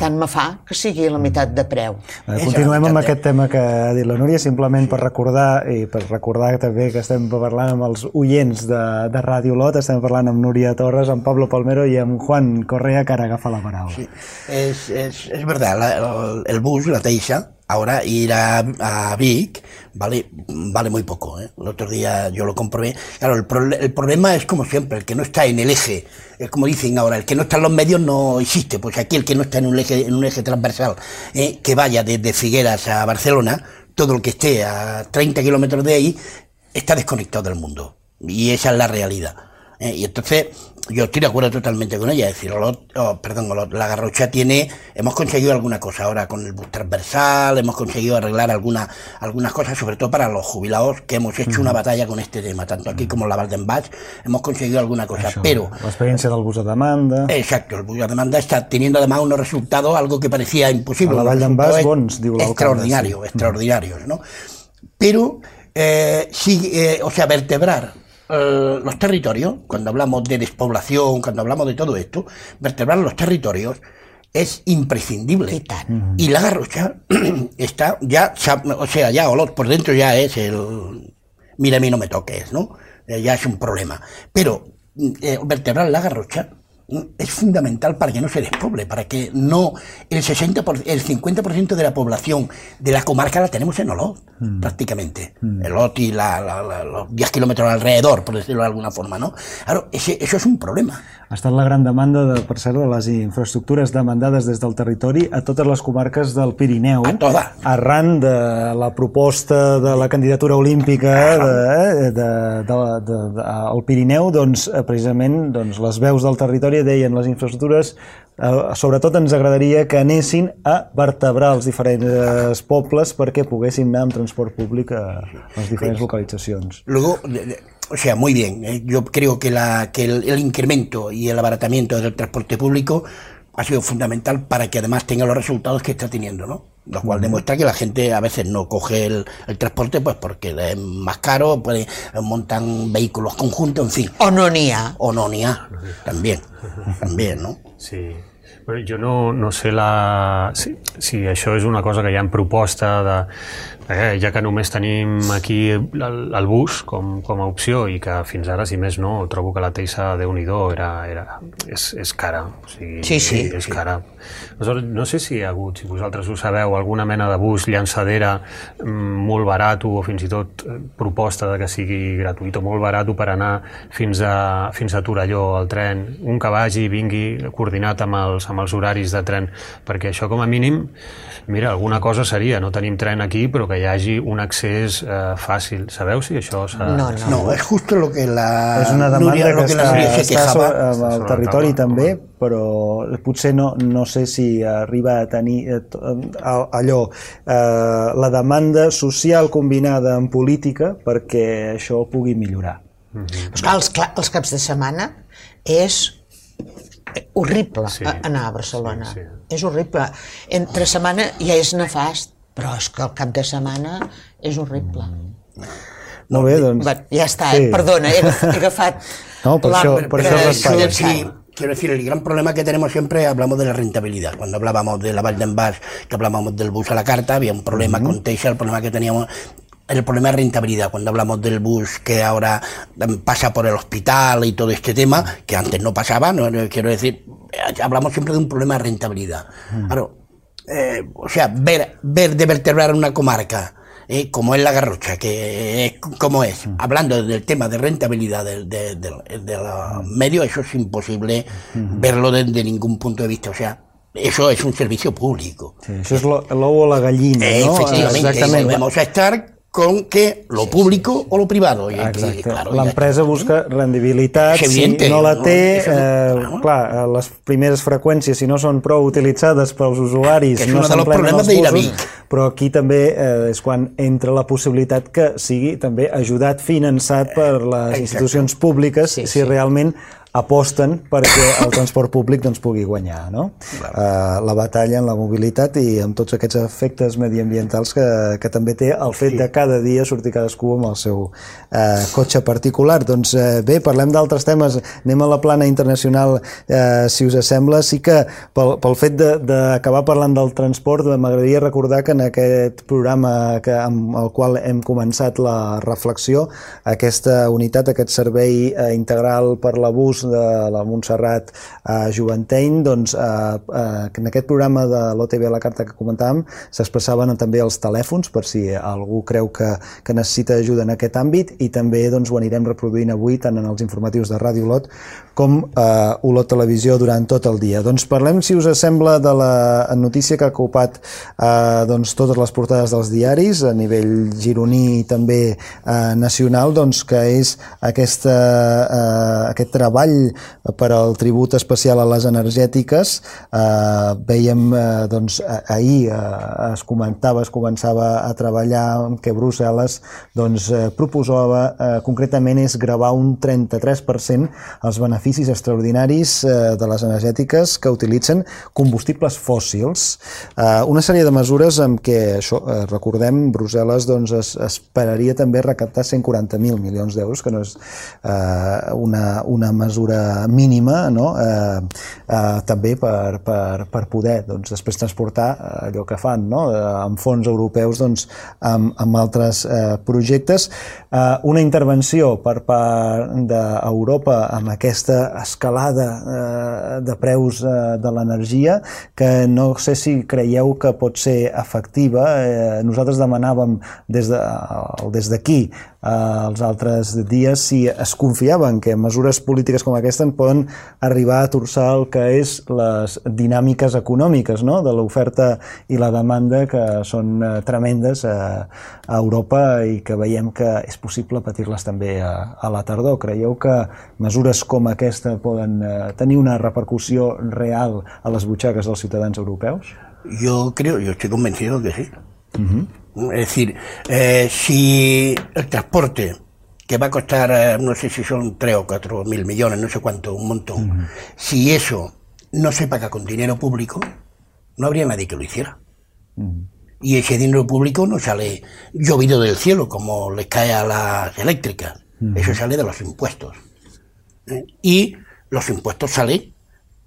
tant me fa que sigui la meitat de preu. Eh, continuem amb aquest tema que ha dit la Núria, simplement per recordar, i per recordar també que estem parlant amb els oients de, de Ràdio Olot, estem parlant amb Núria Torres, amb Pablo Palmero y a Juan Correa, que ahora agafa la palabra. Sí, es, es, es verdad, la, el, el bus, la Teixa, ahora ir a, a Vic vale, vale muy poco, ¿eh? El otro día yo lo comprobé. Claro, el, pro, el problema es como siempre, el que no está en el eje, es como dicen ahora, el que no está en los medios no existe, pues aquí el que no está en un eje, en un eje transversal, ¿eh? Que vaya desde Figueras a Barcelona, todo el que esté a treinta kilómetros de ahí, está desconectado del mundo. Y esa es la realidad. ¿eh? Y entonces, yo estoy de acuerdo totalmente con ella. Es decir, Olot, oh, perdón, Olot, la Garrocha tiene, hemos conseguido alguna cosa ahora con el bus transversal, hemos conseguido arreglar alguna, algunas cosas, sobre todo para los jubilados, que hemos hecho una batalla con este tema, tanto aquí como en la Valdenbach, hemos conseguido alguna cosa. Això, pero la experiencia del bus a demanda. Exacto, el bus a demanda está teniendo además unos resultados, algo que parecía imposible. A la Valdenbach, bons, diu l'alcalde. Extraordinario, sí. extraordinarios, ¿no? Pero, eh, sí, eh, o sea, vertebrar eh, los territorios, cuando hablamos de despoblación, cuando hablamos de todo esto, vertebrar los territorios es imprescindible. ¿Qué tal? Y la Garrocha está ya, o sea, ya Olot por dentro ya es el mira a mí no me toques, ¿no? Eh, ya es un problema. Pero eh, vertebrar la Garrocha es fundamental para que no se despoble, para que no el sesenta por ciento, el cincuenta por ciento de la población de la comarca la tenemos en Olot, mm. prácticamente. Mm. El Olot y la, la, la, los diez kilómetros alrededor, por decirlo de alguna forma, ¿no? Claro, ese, eso es un problema. Ha estat la gran demanda, de, per cert, de les infraestructures demandades des del territori a totes les comarques del Pirineu. A toda. Arran de la proposta de la candidatura olímpica de, de, de, de, de, de, al Pirineu, doncs, precisament doncs, les veus del territori deien les infraestructures, eh, sobretot ens agradaria que anessin a vertebrar els diferents pobles perquè poguessin anar amb transport públic a les diferents localitzacions. Luego, o sea, muy bien, eh, yo creo que, la, que el, el incremento y el abaratamiento del transporte público ha sido fundamental para que además tenga los resultados que está teniendo, ¿no? Lo cual demuestra que la gente a veces no coge el, el transporte pues porque es más caro, pues, montan vehículos conjuntos, en fin. O no n'hi ha. O no n'hi ha, también, también, ¿no? Sí. Bueno, jo no, no sé la, si, si això és una cosa que hi ha en proposta de, eh, ja que només tenim aquí el, el bus com, com a opció i que fins ara, si més no, trobo que la Teixa, Déu-n'hi-do, era, era, és, és cara. O sigui, sí, sí. És cara. Aleshores, no sé si hi ha hagut, si vosaltres ho sabeu, alguna mena de bus llançadera molt barat o fins i tot proposta de que sigui gratuït o molt barat per anar fins a, fins a Torelló, al tren, un que vagi i vingui coordinat amb els amb els horaris de tren, perquè això com a mínim, mira, alguna cosa seria, no tenim tren aquí, però que hi hagi un accés eh, fàcil. Sabeu si això s'ha... No, no. No, és justo lo que la és una demanda Núria, que, que està, la Núria se està quejava. sobre, al territori taula, també, home. però potser no, no sé si arriba a tenir eh, allò, eh, la demanda social combinada amb política perquè això pugui millorar. Mm-hmm. Però clar, els, clar, els caps de setmana és horrible Sí, anar a Barcelona. sí, sí. És horrible. Entre setmana ja és nefast, però és que el cap de setmana és horrible. Molt bé, doncs... Va, ja està, eh? sí. Perdona, he, he agafat... No, per la- això, per això Eh, raspalla. quiero decir, quiero decir, el gran problema que tenemos siempre, hablamos de la rentabilidad. Cuando hablábamos de la Val d'en Bas, que hablábamos del bus a la carta, había un problema uh-huh. con Teixa, el problema que teníamos, el problema de rentabilidad. Cuando hablamos del bus que ahora pasa por el hospital y todo este tema, que antes no pasaba, no, no, quiero decir, hablamos siempre de un problema de rentabilidad. Uh-huh. Claro, eh, o sea, ver, ver de vertebrar una comarca, Eh, como es la Garrocha, que es como es, hablando del tema de rentabilidad de, de, de, de los medios, eso es imposible uh-huh. verlo desde ningún punto de vista, o sea, eso es un servicio público. Sí, això és l'ou o la gallina, Eh, no? efectivamente, Exactament. vamos a estar con que lo público o lo privado. Y, Exacte. y, claro, L'empresa busca rendibilitat, És si evidente, no la no? té, Això no- eh, clar, les primeres freqüències, si no són prou utilitzades pels usuaris, Que és no un dels s'emplenen problemes els d'ir a busos, Vic. però aquí també eh, és quan entra la possibilitat que sigui també ajudat, finançat per les Exacte. institucions públiques, Sí, si sí. realment aposten perquè el transport públic doncs, pugui guanyar, no? Uh, la batalla en la mobilitat i amb tots aquests efectes mediambientals que, que també té el fet de cada dia sortir cadascú amb el seu uh, cotxe particular. Doncs uh, bé, parlem d'altres temes, anem a la plana internacional, uh, si us sembla. Sí que pel, pel fet d'acabar parlant del transport, m'agradaria recordar que en aquest programa que, amb el qual hem començat la reflexió, aquesta unitat, aquest servei uh, integral per l'abús de la Montserrat a Juventeny, doncs eh, eh, en aquest programa de l'O T V a la carta que comentàvem s'expressaven també els telèfons per si algú creu que, que necessita ajuda en aquest àmbit, i també doncs, ho anirem reproduint avui tant en els informatius de Ràdio Olot com eh, Olot Televisió durant tot el dia. Doncs parlem, si us sembla, de la notícia que ha ocupat eh, doncs, totes les portades dels diaris a nivell gironí i també eh, nacional, doncs, que és aquesta, eh, aquest treball per al tribut especial a les energètiques. Eh, veiem, eh, doncs, ahir eh, es comentava, es començava a treballar que Brussel·les doncs, eh, proposava, eh, concretament és gravar un trenta-tres per cent els beneficis extraordinaris eh, de les energètiques que utilitzen combustibles fòssils. Eh, una sèrie de mesures amb què, això, eh, recordem, Brussel·les doncs, es, esperaria també recaptar cent quaranta mil milions d'euros, que no és eh, una, una mesura mínima, no? eh, eh, també per, per, per poder doncs, després transportar allò que fan, no? eh, amb fons europeus doncs, amb, amb altres eh, projectes. Eh, una intervenció per part d'Europa amb aquesta escalada eh, de preus eh, de l'energia que no sé si creieu que pot ser efectiva. Eh, nosaltres demanàvem des de, des d'aquí eh, els altres dies si es confiaven que mesures polítiques com aquesta en poden arribar a torçar el que és les dinàmiques econòmiques, no? De l'oferta i la demanda, que són eh, tremendes a, a Europa i que veiem que és possible patir-les també a, a la tardor. Creieu que mesures com aquesta poden eh, tenir una repercussió real a les butxaques dels ciutadans europeus? Yo creo, yo estoy convencido que sí. Uh-huh. Es decir, eh, si el transporte, que va a costar, eh, no sé si son tres o cuatro mil millones, no sé cuánto, un montón, uh-huh. si eso no se paga con dinero público, no habría nadie que lo hiciera. Uh-huh. Y ese dinero público no sale llovido del cielo, como les cae a las eléctricas. Uh-huh. Eso sale de los impuestos. ¿Eh? Y los impuestos salen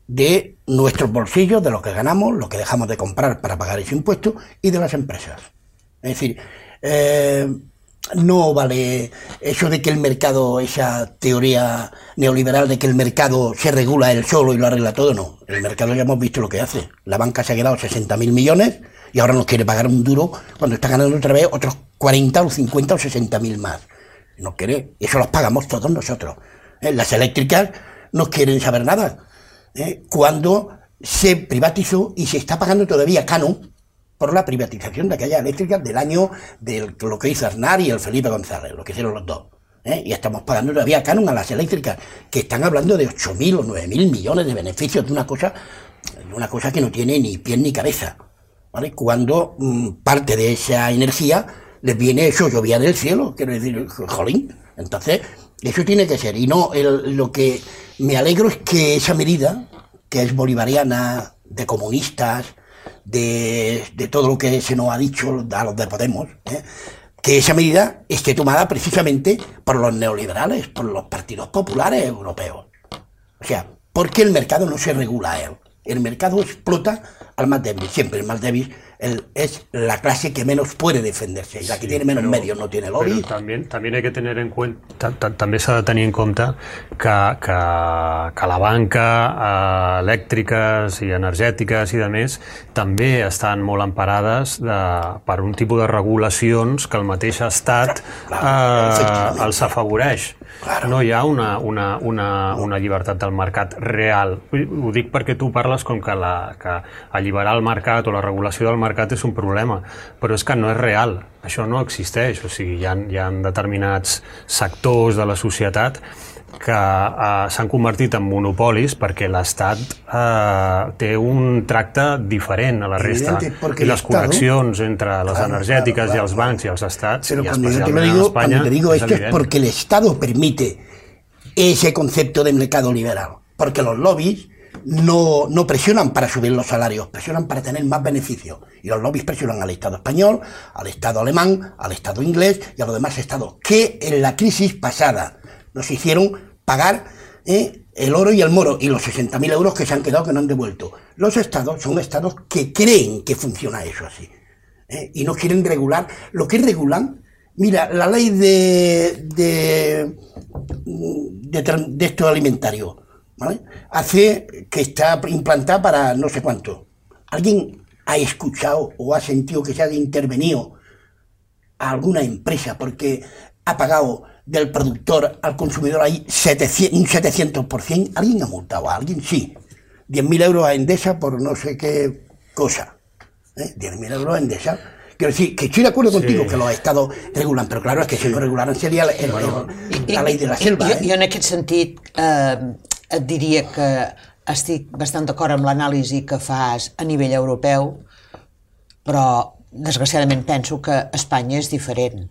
de nuestros bolsillos, de lo que ganamos, lo que dejamos de comprar para pagar ese impuesto, y de las empresas. Es decir, eh, no vale eso de que el mercado, esa teoría neoliberal de que el mercado se regula él solo y lo arregla todo, no. El mercado ya hemos visto lo que hace. La banca se ha quedado sesenta mil millones y ahora nos quiere pagar un duro cuando está ganando otra vez otros cuarenta o cincuenta o sesenta mil más. No quiere, eso los pagamos todos nosotros. ¿Eh? Las eléctricas no quieren saber nada. ¿Eh? Cuando se privatizó y se está pagando todavía canon por la privatización de aquellas eléctricas del año de lo que hizo Aznar y el Felipe González, lo que hicieron los dos. ¿eh? Y estamos pagando todavía canon a las eléctricas, que están hablando de ocho mil o nueve mil millones de beneficios de una cosa, de una cosa que no tiene ni pie ni cabeza, ¿vale? Cuando mmm, parte de esa energía les viene eso, llovía del cielo, quiero decir, jolín. Entonces, eso tiene que ser. Y no, el, lo que me alegro es que esa medida, que es bolivariana, de comunistas, de, de todo lo que se nos ha dicho a los de Podemos, ¿eh? que esa medida esté tomada precisamente por los neoliberales, por los partidos populares europeos. O sea, porque el mercado no se regula a él. El mercado explota al más débil. Siempre el más débil el, es la clase que menos puede defenderse. Y la que sí, tiene menos però, medios no tiene lobby. Però també, també hay que tener en cuenta, també s'ha de tenir en compte que, que, que la banca, eh, elèctriques i energètiques i de més, també estan molt emparades de, per un tipus de regulacions que el mateix estat eh, els afavoreix. Claro. No hi ha una, una, una, una llibertat del mercat real. Ho dic perquè tu parles com que, la, que alliberar el mercat o la regulació del mercat és un problema, però és que no és real. Això no existeix. O sigui, hi ha, hi ha determinats sectors de la societat que eh, s'han convertit en monopolis perquè l'Estat eh, té un tracte diferent a la resta. I les connexions entre les claro, energètiques claro, claro, i els bancs i els estats, pero i yo te especialment lo digo, en Espanya, cuando te digo es esto evident. Es porque el Estado permite ese concepto de mercado liberal, porque los lobbies no, no presionan para subir los salarios, presionan para tener más beneficios. Y los lobbies presionan al Estado español, al Estado alemán, al Estado inglés y a los demás estados, que en la crisis pasada nos hicieron pagar eh, el oro y el moro y los sesenta mil euros que se han quedado que no han devuelto. Los estados son estados que creen que funciona eso así eh, y no quieren regular. Lo que regulan, mira, la ley de, de, de, de esto alimentario, ¿vale? Hace que está implantada para no sé cuánto. ¿Alguien ha escuchado o ha sentido que se haya intervenido a alguna empresa porque ha pagado del productor al consumidor ahí setecientos, un setecientos por ciento? ¿Alguien ha multado a alguien? Sí. diez mil euros a Endesa por no sé qué cosa. ¿Eh? diez mil euros a Endesa. Quiero decir, que estoy de acuerdo contigo sí. que los estados regulan, però claro, és que si no regularan seria el, el, el, la ley de la selva. Jo, eh? jo en aquest sentit eh, et diria que estic bastant d'acord amb l'anàlisi que fas a nivell europeu, però desgraciadament penso que Espanya és diferent.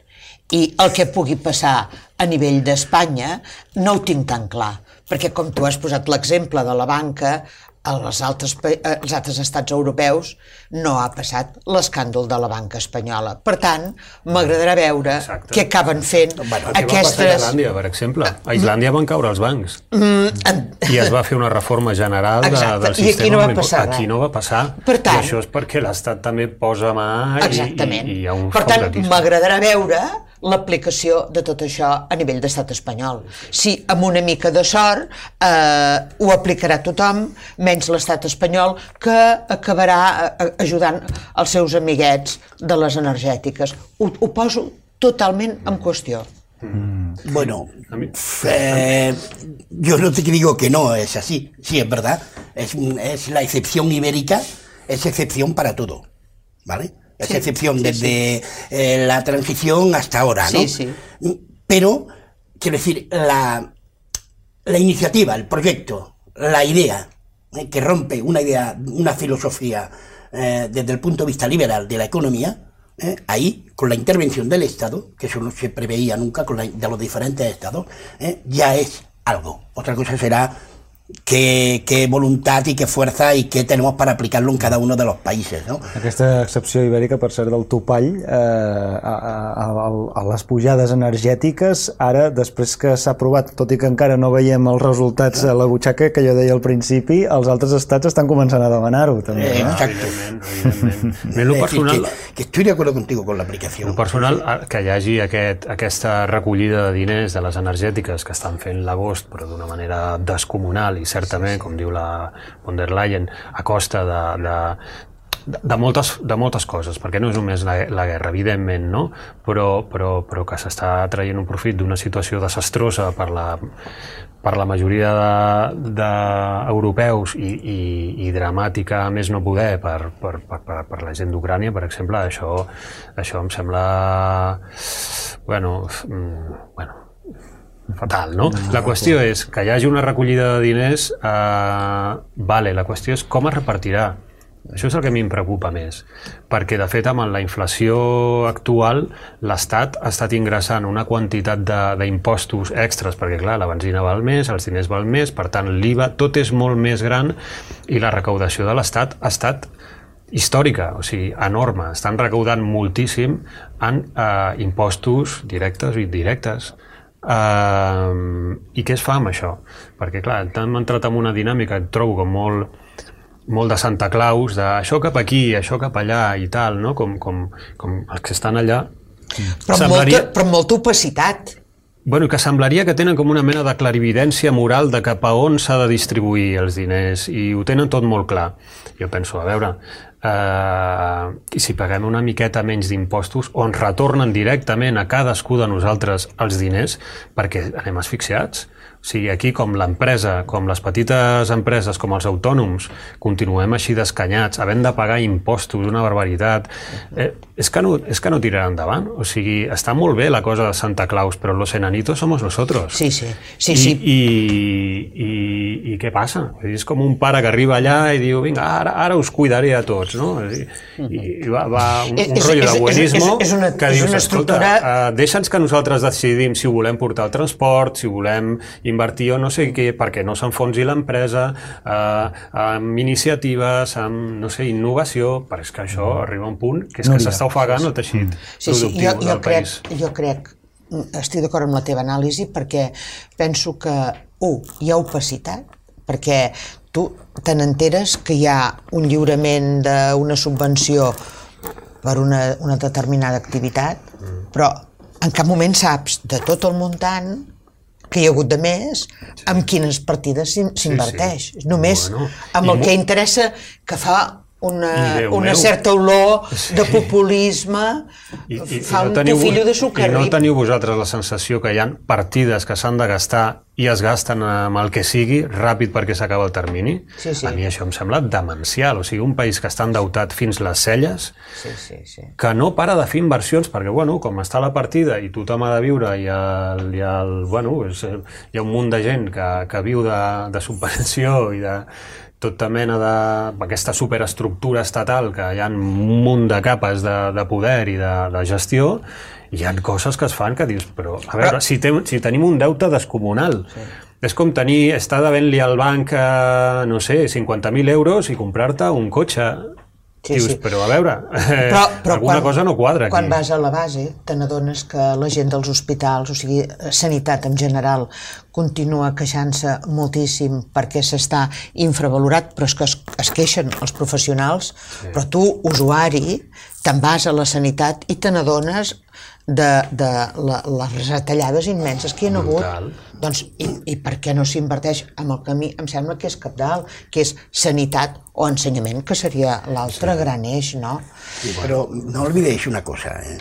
I el que pugui passar a nivell d'Espanya no ho tinc tan clar, perquè com tu has posat l'exemple de la banca, als altres, als altres estats europeus no ha passat l'escàndol de la banca espanyola. Per tant, m'agradarà veure Exacte. què acaben fent bueno, aquestes... Què va passar a Islàndia, per exemple? A Islàndia van caure els bancs mm. i es va fer una reforma general de, del sistema. I aquí no va passar. Aquí no va passar. Per tant, I això és perquè l'Estat també posa mà i, i, i hi ha un per tant, m'agradarà veure l'aplicació de tot això a nivell d'estat espanyol. Si amb una mica de sort eh, ho aplicarà tothom, menys l'estat espanyol, que acabarà ajudant els seus amiguets de les energètiques. Ho, ho poso totalment en qüestió. Mm. Bueno, eh, yo no te digo que no es así, sí es verdad, es, es la excepción ibérica, es excepción para todo, ¿vale? Es sí, excepción sí, desde sí. Eh, la transición hasta ahora, ¿no? Sí, sí. Pero, quiero decir, la, la iniciativa, el proyecto, la idea, eh, que rompe una idea, una filosofía eh, desde el punto de vista liberal de la economía, eh, ahí, con la intervención del Estado, que eso no se preveía nunca con la, de los diferentes estados, eh, ya es algo. Otra cosa será qué, qué voluntad y qué fuerza y qué tenemos para aplicarlo en cada uno de los países, no? Aquesta excepció ibèrica, per cert, del topall eh, a, a, a les pujades energètiques, ara, després que s'ha aprovat, tot i que encara no veiem els resultats a la butxaca, que jo deia al principi, els altres estats estan començant a demanar-ho, també. Eh, no? exacto. Evidentment, evidentment. Lo personal... que, que estoy de acuerdo contigo con la aplicación. Lo personal, que hi hagi aquest, aquesta recollida de diners de les energètiques que estan fent l'agost, però d'una manera descomunal, i certament, com diu la von der Leyen, a costa de, de, de, moltes, de moltes coses, perquè no és només la, la guerra, evidentment, no? Però, però, però que s'està traient un profit d'una situació desastrosa per la, per la majoria d'europeus i, i, i dramàtica més no poder per, per, per, per la gent d'Ucrània, per exemple, això, això em sembla bueno, bueno, fatal, no? La qüestió és que hi hagi una recollida de diners, eh, vale, la qüestió és com es repartirà. Això és el que a mi em preocupa més, perquè de fet amb la inflació actual l'Estat ha estat ingressant una quantitat d'impostos extras, perquè clar, la benzina val més, els diners val més, per tant l'I V A, tot és molt més gran i la recaudació de l'Estat ha estat històrica, o sigui, enorme. Estan recaudant moltíssim en eh, impostos directes i indirectes. Uh, I què es fa amb això? Perquè clar, hem entrat en una dinàmica, et trobo com molt molt de Santa Claus, d'això cap aquí, això cap allà i tal, no? Com, com, com els que estan allà. Però, semblaria... molta, però molta opacitat. Bueno, que semblaria que tenen com una mena de clarividència moral de cap a on s'ha de distribuir els diners i ho tenen tot molt clar. Jo penso, a veure, eh, si paguem una miqueta menys d'impostos, on retornen directament a cadascú de nosaltres els diners, perquè anem asfixiats. O sigui, aquí com l'empresa, com les petites empreses, com els autònoms, continuem així d'escanyats, havent de pagar impostos, una barbaritat. Eh, és, que no, és que no tirarà endavant. O sigui, està molt bé la cosa de Santa Claus, però los enanitos somos nosotros. Sí, sí. sí, I, sí. I, i, I què passa? És com un pare que arriba allà i diu, vinga, ara, ara us cuidaré a tots, no? I, i va, va un, un és, rotllo és, de buenismo és, és una, que dius, estructura... escolta, uh, deixa'ns que nosaltres decidim si ho volem portar al transport, si volem invertir o no sé què, perquè no s'enfonsi l'empresa, eh, amb iniciatives, amb, no sé, innovació, però és que això arriba a un punt que és que s'està ofegant el teixit sí, sí, productiu jo, jo del crec, país. Jo crec, estic d'acord amb la teva anàlisi, perquè penso que, un, hi ha opacitat, perquè tu te n'enteres que hi ha un lliurament d'una subvenció per una, una determinada activitat, mm. però en cap moment saps de tot el muntant que hi ha hagut de més, sí. amb quines partides s'inverteix. Sí, sí. Només bueno, amb el que interessa, que fa una, una certa olor de populisme, I, i, fa i no un teniu, tufillo de sucre. I no teniu vosaltres la sensació que hi ha partides que s'han de gastar i es gasten amb el que sigui ràpid perquè s'acaba el termini? Sí, sí. A mi això em sembla demencial. O sigui, un país que està endeutat fins les celles, sí, sí, sí. que no para de fer inversions, perquè, bueno, com està la partida i tothom ha de viure i, el, i el, bueno, és, hi ha un munt de gent que, que viu de, de subvenció i de tota mena d'aquesta superestructura estatal, que hi ha un munt de capes de, de poder i de, de gestió, hi ha coses que es fan que dius, però a veure, si, te, si tenim un deute descomunal, sí. és com tenir, estar devent-li al banc, eh, no sé, cinquanta mil euros i comprar-te un cotxe. Sí, dius, sí. però a veure, eh, però, però alguna quan, cosa no quadra aquí. Quan vas a la base, te n'adones que la gent dels hospitals, o sigui, sanitat en general, continua queixant-se moltíssim perquè s'està infravalorat, però és que es, es queixen els professionals, sí. però tu, usuari, te'n vas a la sanitat i te n'adones de, de la, les retallades immenses que hi ha hagut. Doncs, i, i per què no s'inverteix en el camí? Em sembla que és cabdal, que és sanitat o ensenyament, que sería l'altre sí. gran eix, ¿no? Sí, pero no olvidéis una cosa, ¿eh?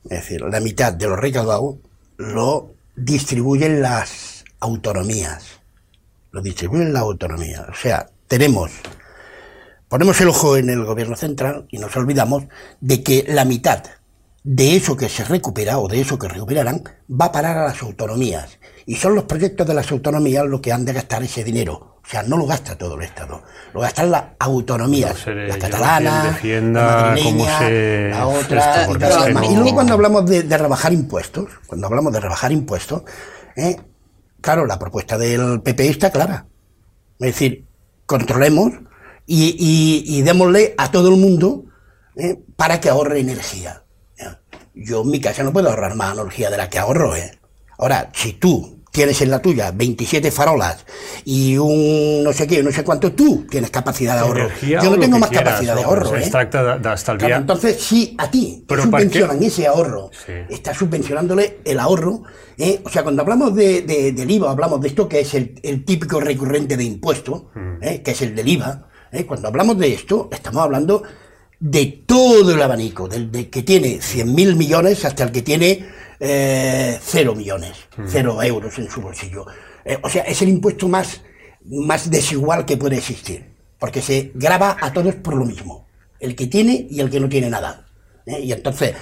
Es decir, la mitad de lo recaudado lo distribuyen las autonomías, lo distribuyen las autonomías. O sea, tenemos, ponemos el ojo en el gobierno central y nos olvidamos de que la mitad de eso que se recupera o de eso que recuperarán va a parar a las autonomías. Y son los proyectos de las autonomías los que han de gastar ese dinero. O sea, no lo gasta todo el Estado, lo gastan las autonomías, no sé, la catalana, defienda, la madrileña, se... la otra... Y, pero, y luego cuando hablamos de, de rebajar impuestos, cuando hablamos de rebajar impuestos, eh, claro, la propuesta del P P está clara. Es decir, controlemos y, y, y démosle a todo el mundo eh, para que ahorre energía. Yo en mi casa no puedo ahorrar más energía de la que ahorro, ¿eh? Ahora, si tú tienes en la tuya veintisiete farolas y un no sé qué, no sé cuánto, tú tienes capacidad de ahorro. Energía Yo no tengo más quieras, capacidad no, de ahorro, ¿eh? Es tracta d'estalviar. Claro, entonces, si a ti te subvencionan ese ahorro, sí. estás subvencionándole el ahorro, ¿eh? O sea, cuando hablamos de, de, del I V A, hablamos de esto que es el, el típico recurrente de impuesto, mm. ¿eh? que es el del I V A, ¿eh? Cuando hablamos de esto, estamos hablando... de todo el abanico, del de que tiene cien mil millones hasta el que tiene, eh, no sé, eh, cero millones, mm. cero euros en su bolsillo. Eh, o sea, es el impuesto más, más desigual que puede existir, porque se grava a todos por lo mismo, el que tiene y el que no tiene nada. ¿eh? Y entonces,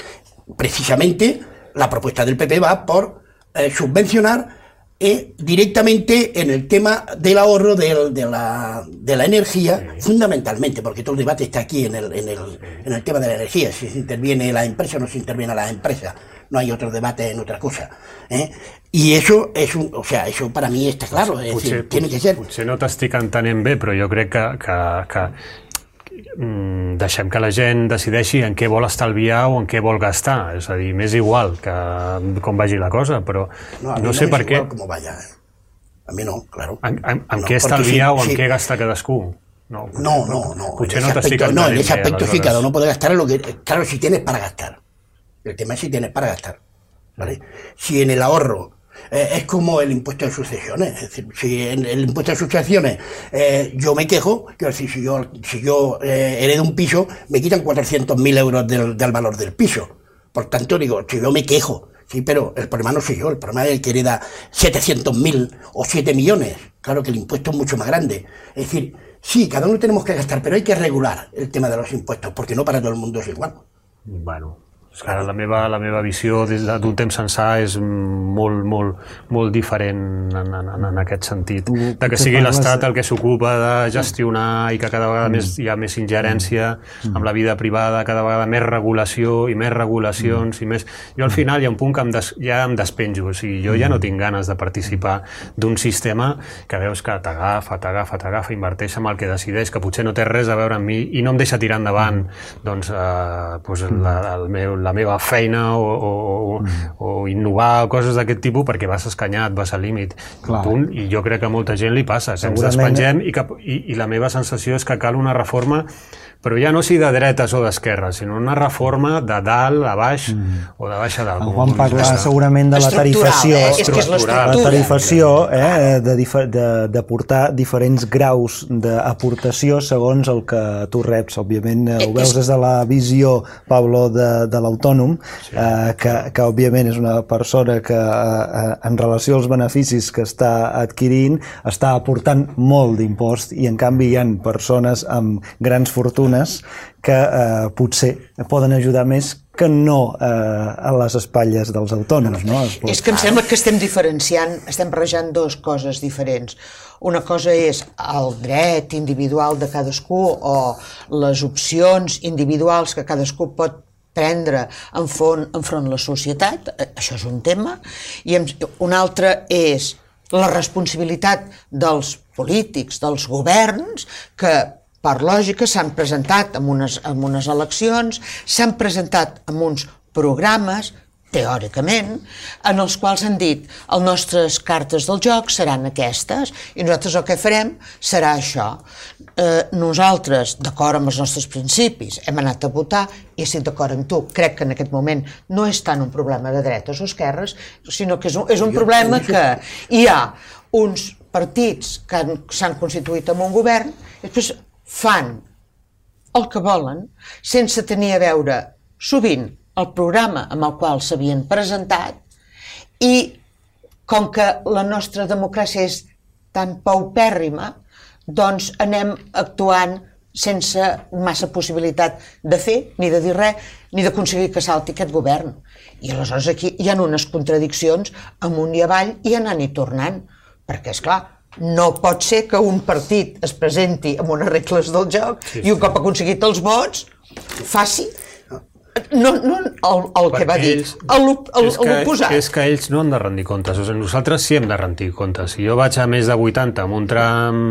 precisamente, la propuesta del P P va por eh, subvencionar eh, directamente en el tema del ahorro de, de, la, de la energía, sí. fundamentalmente, porque todo el debate está aquí en el, en, el, en el tema de la energía, si se interviene la empresa o no se interviene la empresa, no hay otro debate en otra cosa. ¿eh? I això és un, o sea, això per a mi està clar, és potser, dir, tiene que ser... Potser no t'estic entenent bé, però jo crec que, que, que mm, deixem que la gent decideixi en què vol estalviar o en què vol gastar, és a dir, m'és igual que com vagi la cosa, però no, no sé per què... Com vaya, eh? A mi no, claro. En, en, en no, què estalviar sí, o en sí. què gastar cadascú? No, potser, no, no, no. Potser no t'estic entenent No, en ese bé, aspecto sí, aleshores. cada uno puede gastar lo que... Claro, si tienes para gastar. El tema es si tienes para gastar. ¿Vale? Si en el ahorro eh, es como el impuesto de sucesiones, es decir, si en el impuesto de sucesiones eh, yo me quejo, quiero decir, si yo, si yo eh, heredo un piso, me quitan cuatrocientos mil euros del, del valor del piso. Por tanto, digo, si yo me quejo, sí, pero el problema no soy yo, el problema es el que hereda setecientos mil o siete millones. Claro que el impuesto es mucho más grande. Es decir, sí, cada uno tenemos que gastar, pero hay que regular el tema de los impuestos, porque no para todo el mundo es igual. Bueno... Ara la meva, la meva visió des d'un temps ençà és molt, molt, molt diferent en, en, en aquest sentit. De que sigui l'Estat el que s'ocupa de gestionar i que cada vegada més hi ha més ingerència amb la vida privada, cada vegada més regulació i més regulacions i més... Jo al final hi ha un punt que em des, ja em despenjo, o sigui, jo ja no tinc ganes de participar d'un sistema que veus que t'agafa, t'agafa, t'agafa, inverteix amb el que decideix, que potser no té res a veure amb mi i no em deixa tirar endavant doncs, eh, doncs la, el meu, la meva feina o, o, mm. o innovar o coses d'aquest tipus perquè vas escanyat, vas al límit. Punt, i jo crec que a molta gent li passa, que ens despengem i, que, i, i la meva sensació és que cal una reforma, però ja no sigui de dretes o d'esquerres, sinó una reforma de dalt a baix mm. o de baix a dalt. El Juan parla segurament de la tarifació, eh? És que és la tarifació eh, de, de, de portar diferents graus d'aportació segons el que tu reps. Òbviament ho veus des de la visió, Pablo, de, de l'autònom, sí. eh, que, que òbviament és una persona que eh, en relació als beneficis que està adquirint està aportant molt d'impost i en canvi hi ha persones amb grans fortunes que eh, potser poden ajudar més que no eh, a les espatlles dels autònoms. No? És que em sembla que estem diferenciant, estem barrejant dues coses diferents. Una cosa és el dret individual de cadascú o les opcions individuals que cadascú pot prendre enfront, enfront la societat, això és un tema, i un altre és la responsabilitat dels polítics, dels governs, que per lògica s'han presentat en unes, en unes eleccions, s'han presentat en uns programes, teòricament, en els quals han dit les nostres cartes del joc seran aquestes i nosaltres el que farem serà això. Eh, nosaltres, d'acord amb els nostres principis, hem anat a votar i estic d'acord amb tu. Crec que en aquest moment no és tant un problema de dretes o esquerres, sinó que és un, és un problema que hi ha uns partits que s'han constituït en un govern i després fan el que volen sense tenir a veure sovint el programa amb el qual s'havien presentat i com que la nostra democràcia és tan paupèrrima, doncs anem actuant sense massa possibilitat de fer, ni de dir res, ni d'aconseguir que salti aquest govern. I aleshores aquí hi ha unes contradiccions amunt i avall i anant i tornant, perquè és clar, no pot ser que un partit es presenti amb unes regles del joc sí, sí. i un cop aconseguit els vots faci no, no el, el que va dir l'oposat. És que ells no han de rendir comptes, o sigui, nosaltres sí hem de rendir comptes. Si jo vaig a més de vuitanta amb un tram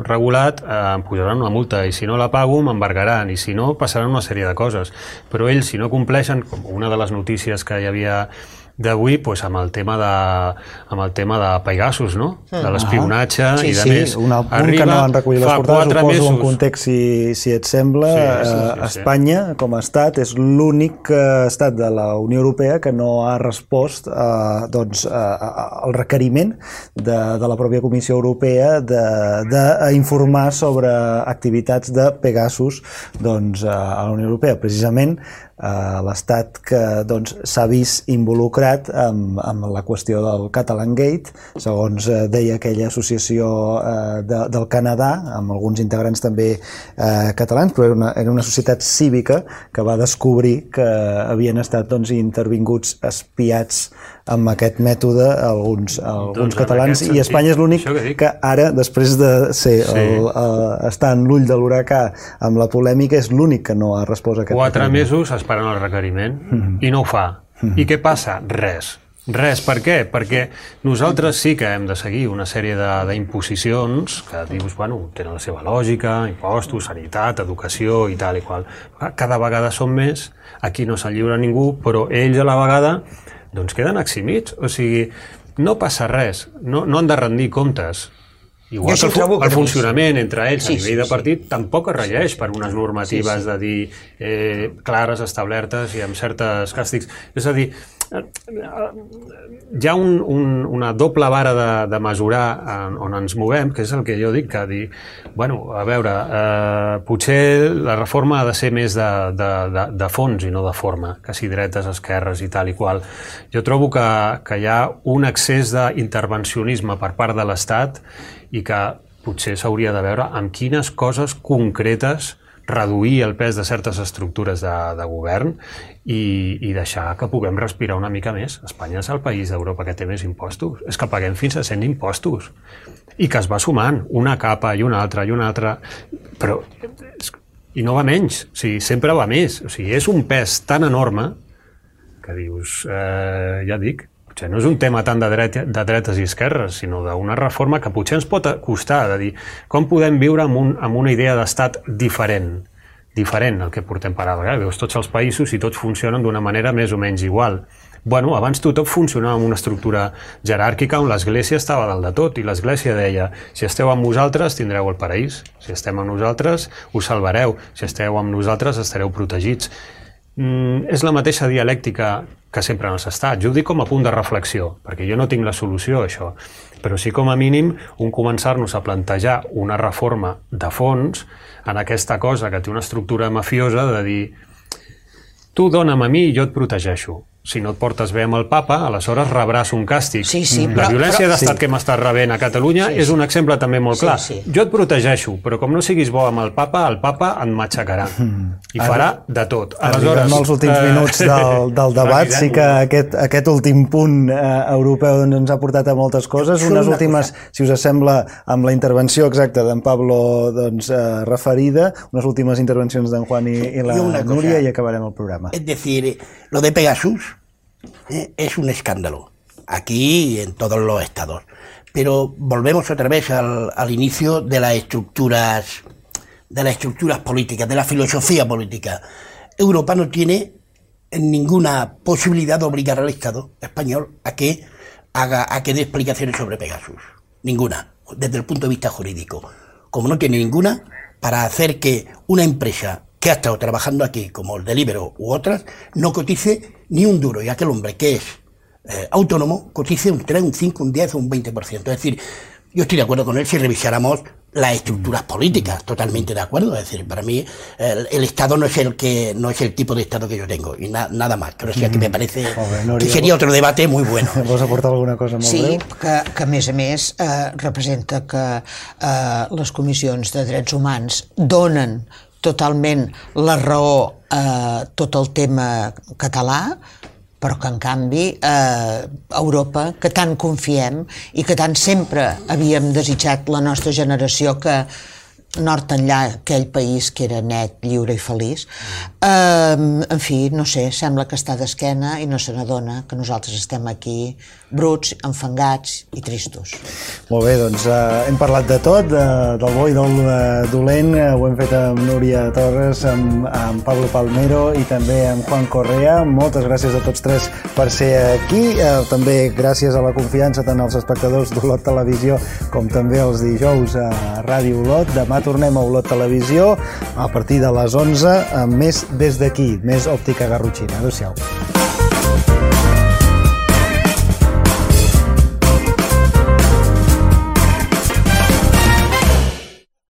regulat, eh, em posaran una multa i si no la pago m'embargaran i si no passaran una sèrie de coses. Però ells si no compleixen, com una de les notícies que hi havia d'avui, doncs, amb el tema de amb el tema de Pegasus, no? De l'espionatge ah, sí, i de sí, més. Sí, un punt arriba, que no han recollit les portades, ho poso en context si, si et sembla. Sí, sí, sí, sí. Espanya, com a estat, és l'únic estat de la Unió Europea que no ha respost eh, doncs, eh, al requeriment de, de la pròpia Comissió Europea d'informar sobre activitats de Pegasus doncs, a la Unió Europea. Precisament, eh, l'estat que doncs, s'ha vist involucrat involucrat amb, amb la qüestió del Catalan Gate, segons eh, deia aquella associació eh, de, del Canadà, amb alguns integrants també eh, catalans, però era una, era una societat cívica que va descobrir que havien estat doncs, intervinguts espiats amb aquest mètode alguns, alguns doncs, catalans, i Espanya és l'únic que, que ara, després de ser sí. el, el, estar en l'ull de l'huracà amb la polèmica, és l'únic que no ha respost a aquest Quatre requeriment. mesos esperant el requeriment mm-hmm. i no ho fa. Mm-hmm. I què passa? Res. Res. Per què? Perquè nosaltres sí que hem de seguir una sèrie d'imposicions que dius, bueno, tenen la seva lògica, impostos, sanitat, educació i tal i qual. Cada vegada són més, aquí no se'n lliura ningú, però ells a la vegada doncs queden eximits. O sigui, no passa res, no, no han de rendir comptes. Igual que el, el funcionament entre ells sí, a nivell sí, de partit sí. tampoc es regeix per unes normatives sí, sí. de dir eh, clares, establertes i amb certes càstigs. És a dir, hi ha un, un, una doble vara de, de mesurar en, on ens movem, que és el que jo dic, que dir, bueno, a veure, eh, potser la reforma ha de ser més de, de, de, de fons i no de forma, que si dretes, esquerres i tal i qual. Jo trobo que, que hi ha un excés d'intervencionisme per part de l'Estat i que potser s'hauria de veure amb quines coses concretes reduir el pes de certes estructures de, de govern i, i deixar que puguem respirar una mica més. Espanya és el país d'Europa que té més impostos. És que paguem fins a cent impostos i que es va sumant una capa i una altra i una altra, però i no va menys, o sigui, sempre va més. O sigui, és un pes tan enorme que dius, eh, ja dic, potser no és un tema tant de, dret, de dretes i esquerres, sinó d'una reforma que potser ens pot costar, de dir com podem viure amb, un, amb una idea d'estat diferent, diferent al que portem per ara. Veus tots els països i tots funcionen d'una manera més o menys igual. Bueno, abans tot funcionava amb una estructura jeràrquica on l'Església estava dalt de tot i l'Església deia, si esteu amb nosaltres tindreu el paraís, si estem amb nosaltres us salvareu, si esteu amb nosaltres estareu protegits. Mm, és la mateixa dialèctica que sempre han estat. Jo ho dic com a punt de reflexió, perquè jo no tinc la solució a això, però sí com a mínim un començar-nos a plantejar una reforma de fons en aquesta cosa que té una estructura mafiosa de dir tu dona'm a mi i jo et protegeixo. Si no et portes bé amb el papa, aleshores rebràs un càstig. Sí, sí, la però, violència però, d'estat sí. que m'estàs rebent a Catalunya sí, sí. és un exemple també molt clar. Sí, sí. Jo et protegeixo, però com no siguis bo amb el papa, el papa et matxacarà mm. i farà de tot. Aleshores, arribem als últims eh... minuts del, del debat. Sí que aquest, aquest últim punt eh, europeu doncs, ens ha portat a moltes coses. Unes últimes, si us sembla, amb la intervenció exacta d'en Pablo doncs, eh, referida, unes últimes intervencions d'en Juan i, i la Núria i acabarem el programa. És decir, lo de Pegasus Eh, es un escándalo, aquí y en todos los estados. Pero volvemos otra vez al, al inicio de las estructuras, de las estructuras políticas, de la filosofía política. Europa no tiene ninguna posibilidad de obligar al Estado español a que haga, a que dé explicaciones sobre Pegasus. Ninguna, desde el punto de vista jurídico. Como no tiene ninguna, para hacer que una empresa que ha estado trabajando aquí, como el Deliveroo u otras, no cotice ni un duro, y aquel hombre que es eh, autónomo cotice un tres, un cinco, un diez o un veinte por ciento. Es decir, yo estoy de acuerdo con él si revisáramos las estructuras políticas, totalmente de acuerdo. Es decir, para mí el, el Estado no es el que no es el tipo de Estado que yo tengo, y na, nada más. Pero sí que me parece que sería otro debate muy bueno. ¿Vols aportar alguna cosa molt sí, breu? Sí, que, que a més a més eh, representa que eh, les comissions de drets humans donen totalment la raó a tot el tema català, però que en canvi eh, Europa, que tant confiem i que tant sempre havíem desitjat la nostra generació, que nord enllà aquell país que era net, lliure i feliç, eh, en fi, no sé, sembla que està d'esquena i no se n'adona que nosaltres estem aquí bruts, enfangats i tristos. Molt bé, doncs eh, hem parlat de tot, de, del bo i del eh, dolent, eh, ho hem fet amb Núria Torres, amb, amb Pablo Palmero i també amb Juan Correa. Moltes gràcies a tots tres per ser aquí, eh, també gràcies a la confiança tant als espectadors d'Olot Televisió com també els dijous a Ràdio Olot. Demà tornem a Olot Televisió a partir de les onze amb més des d'aquí, més òptica garrotxina. Adéu-siau.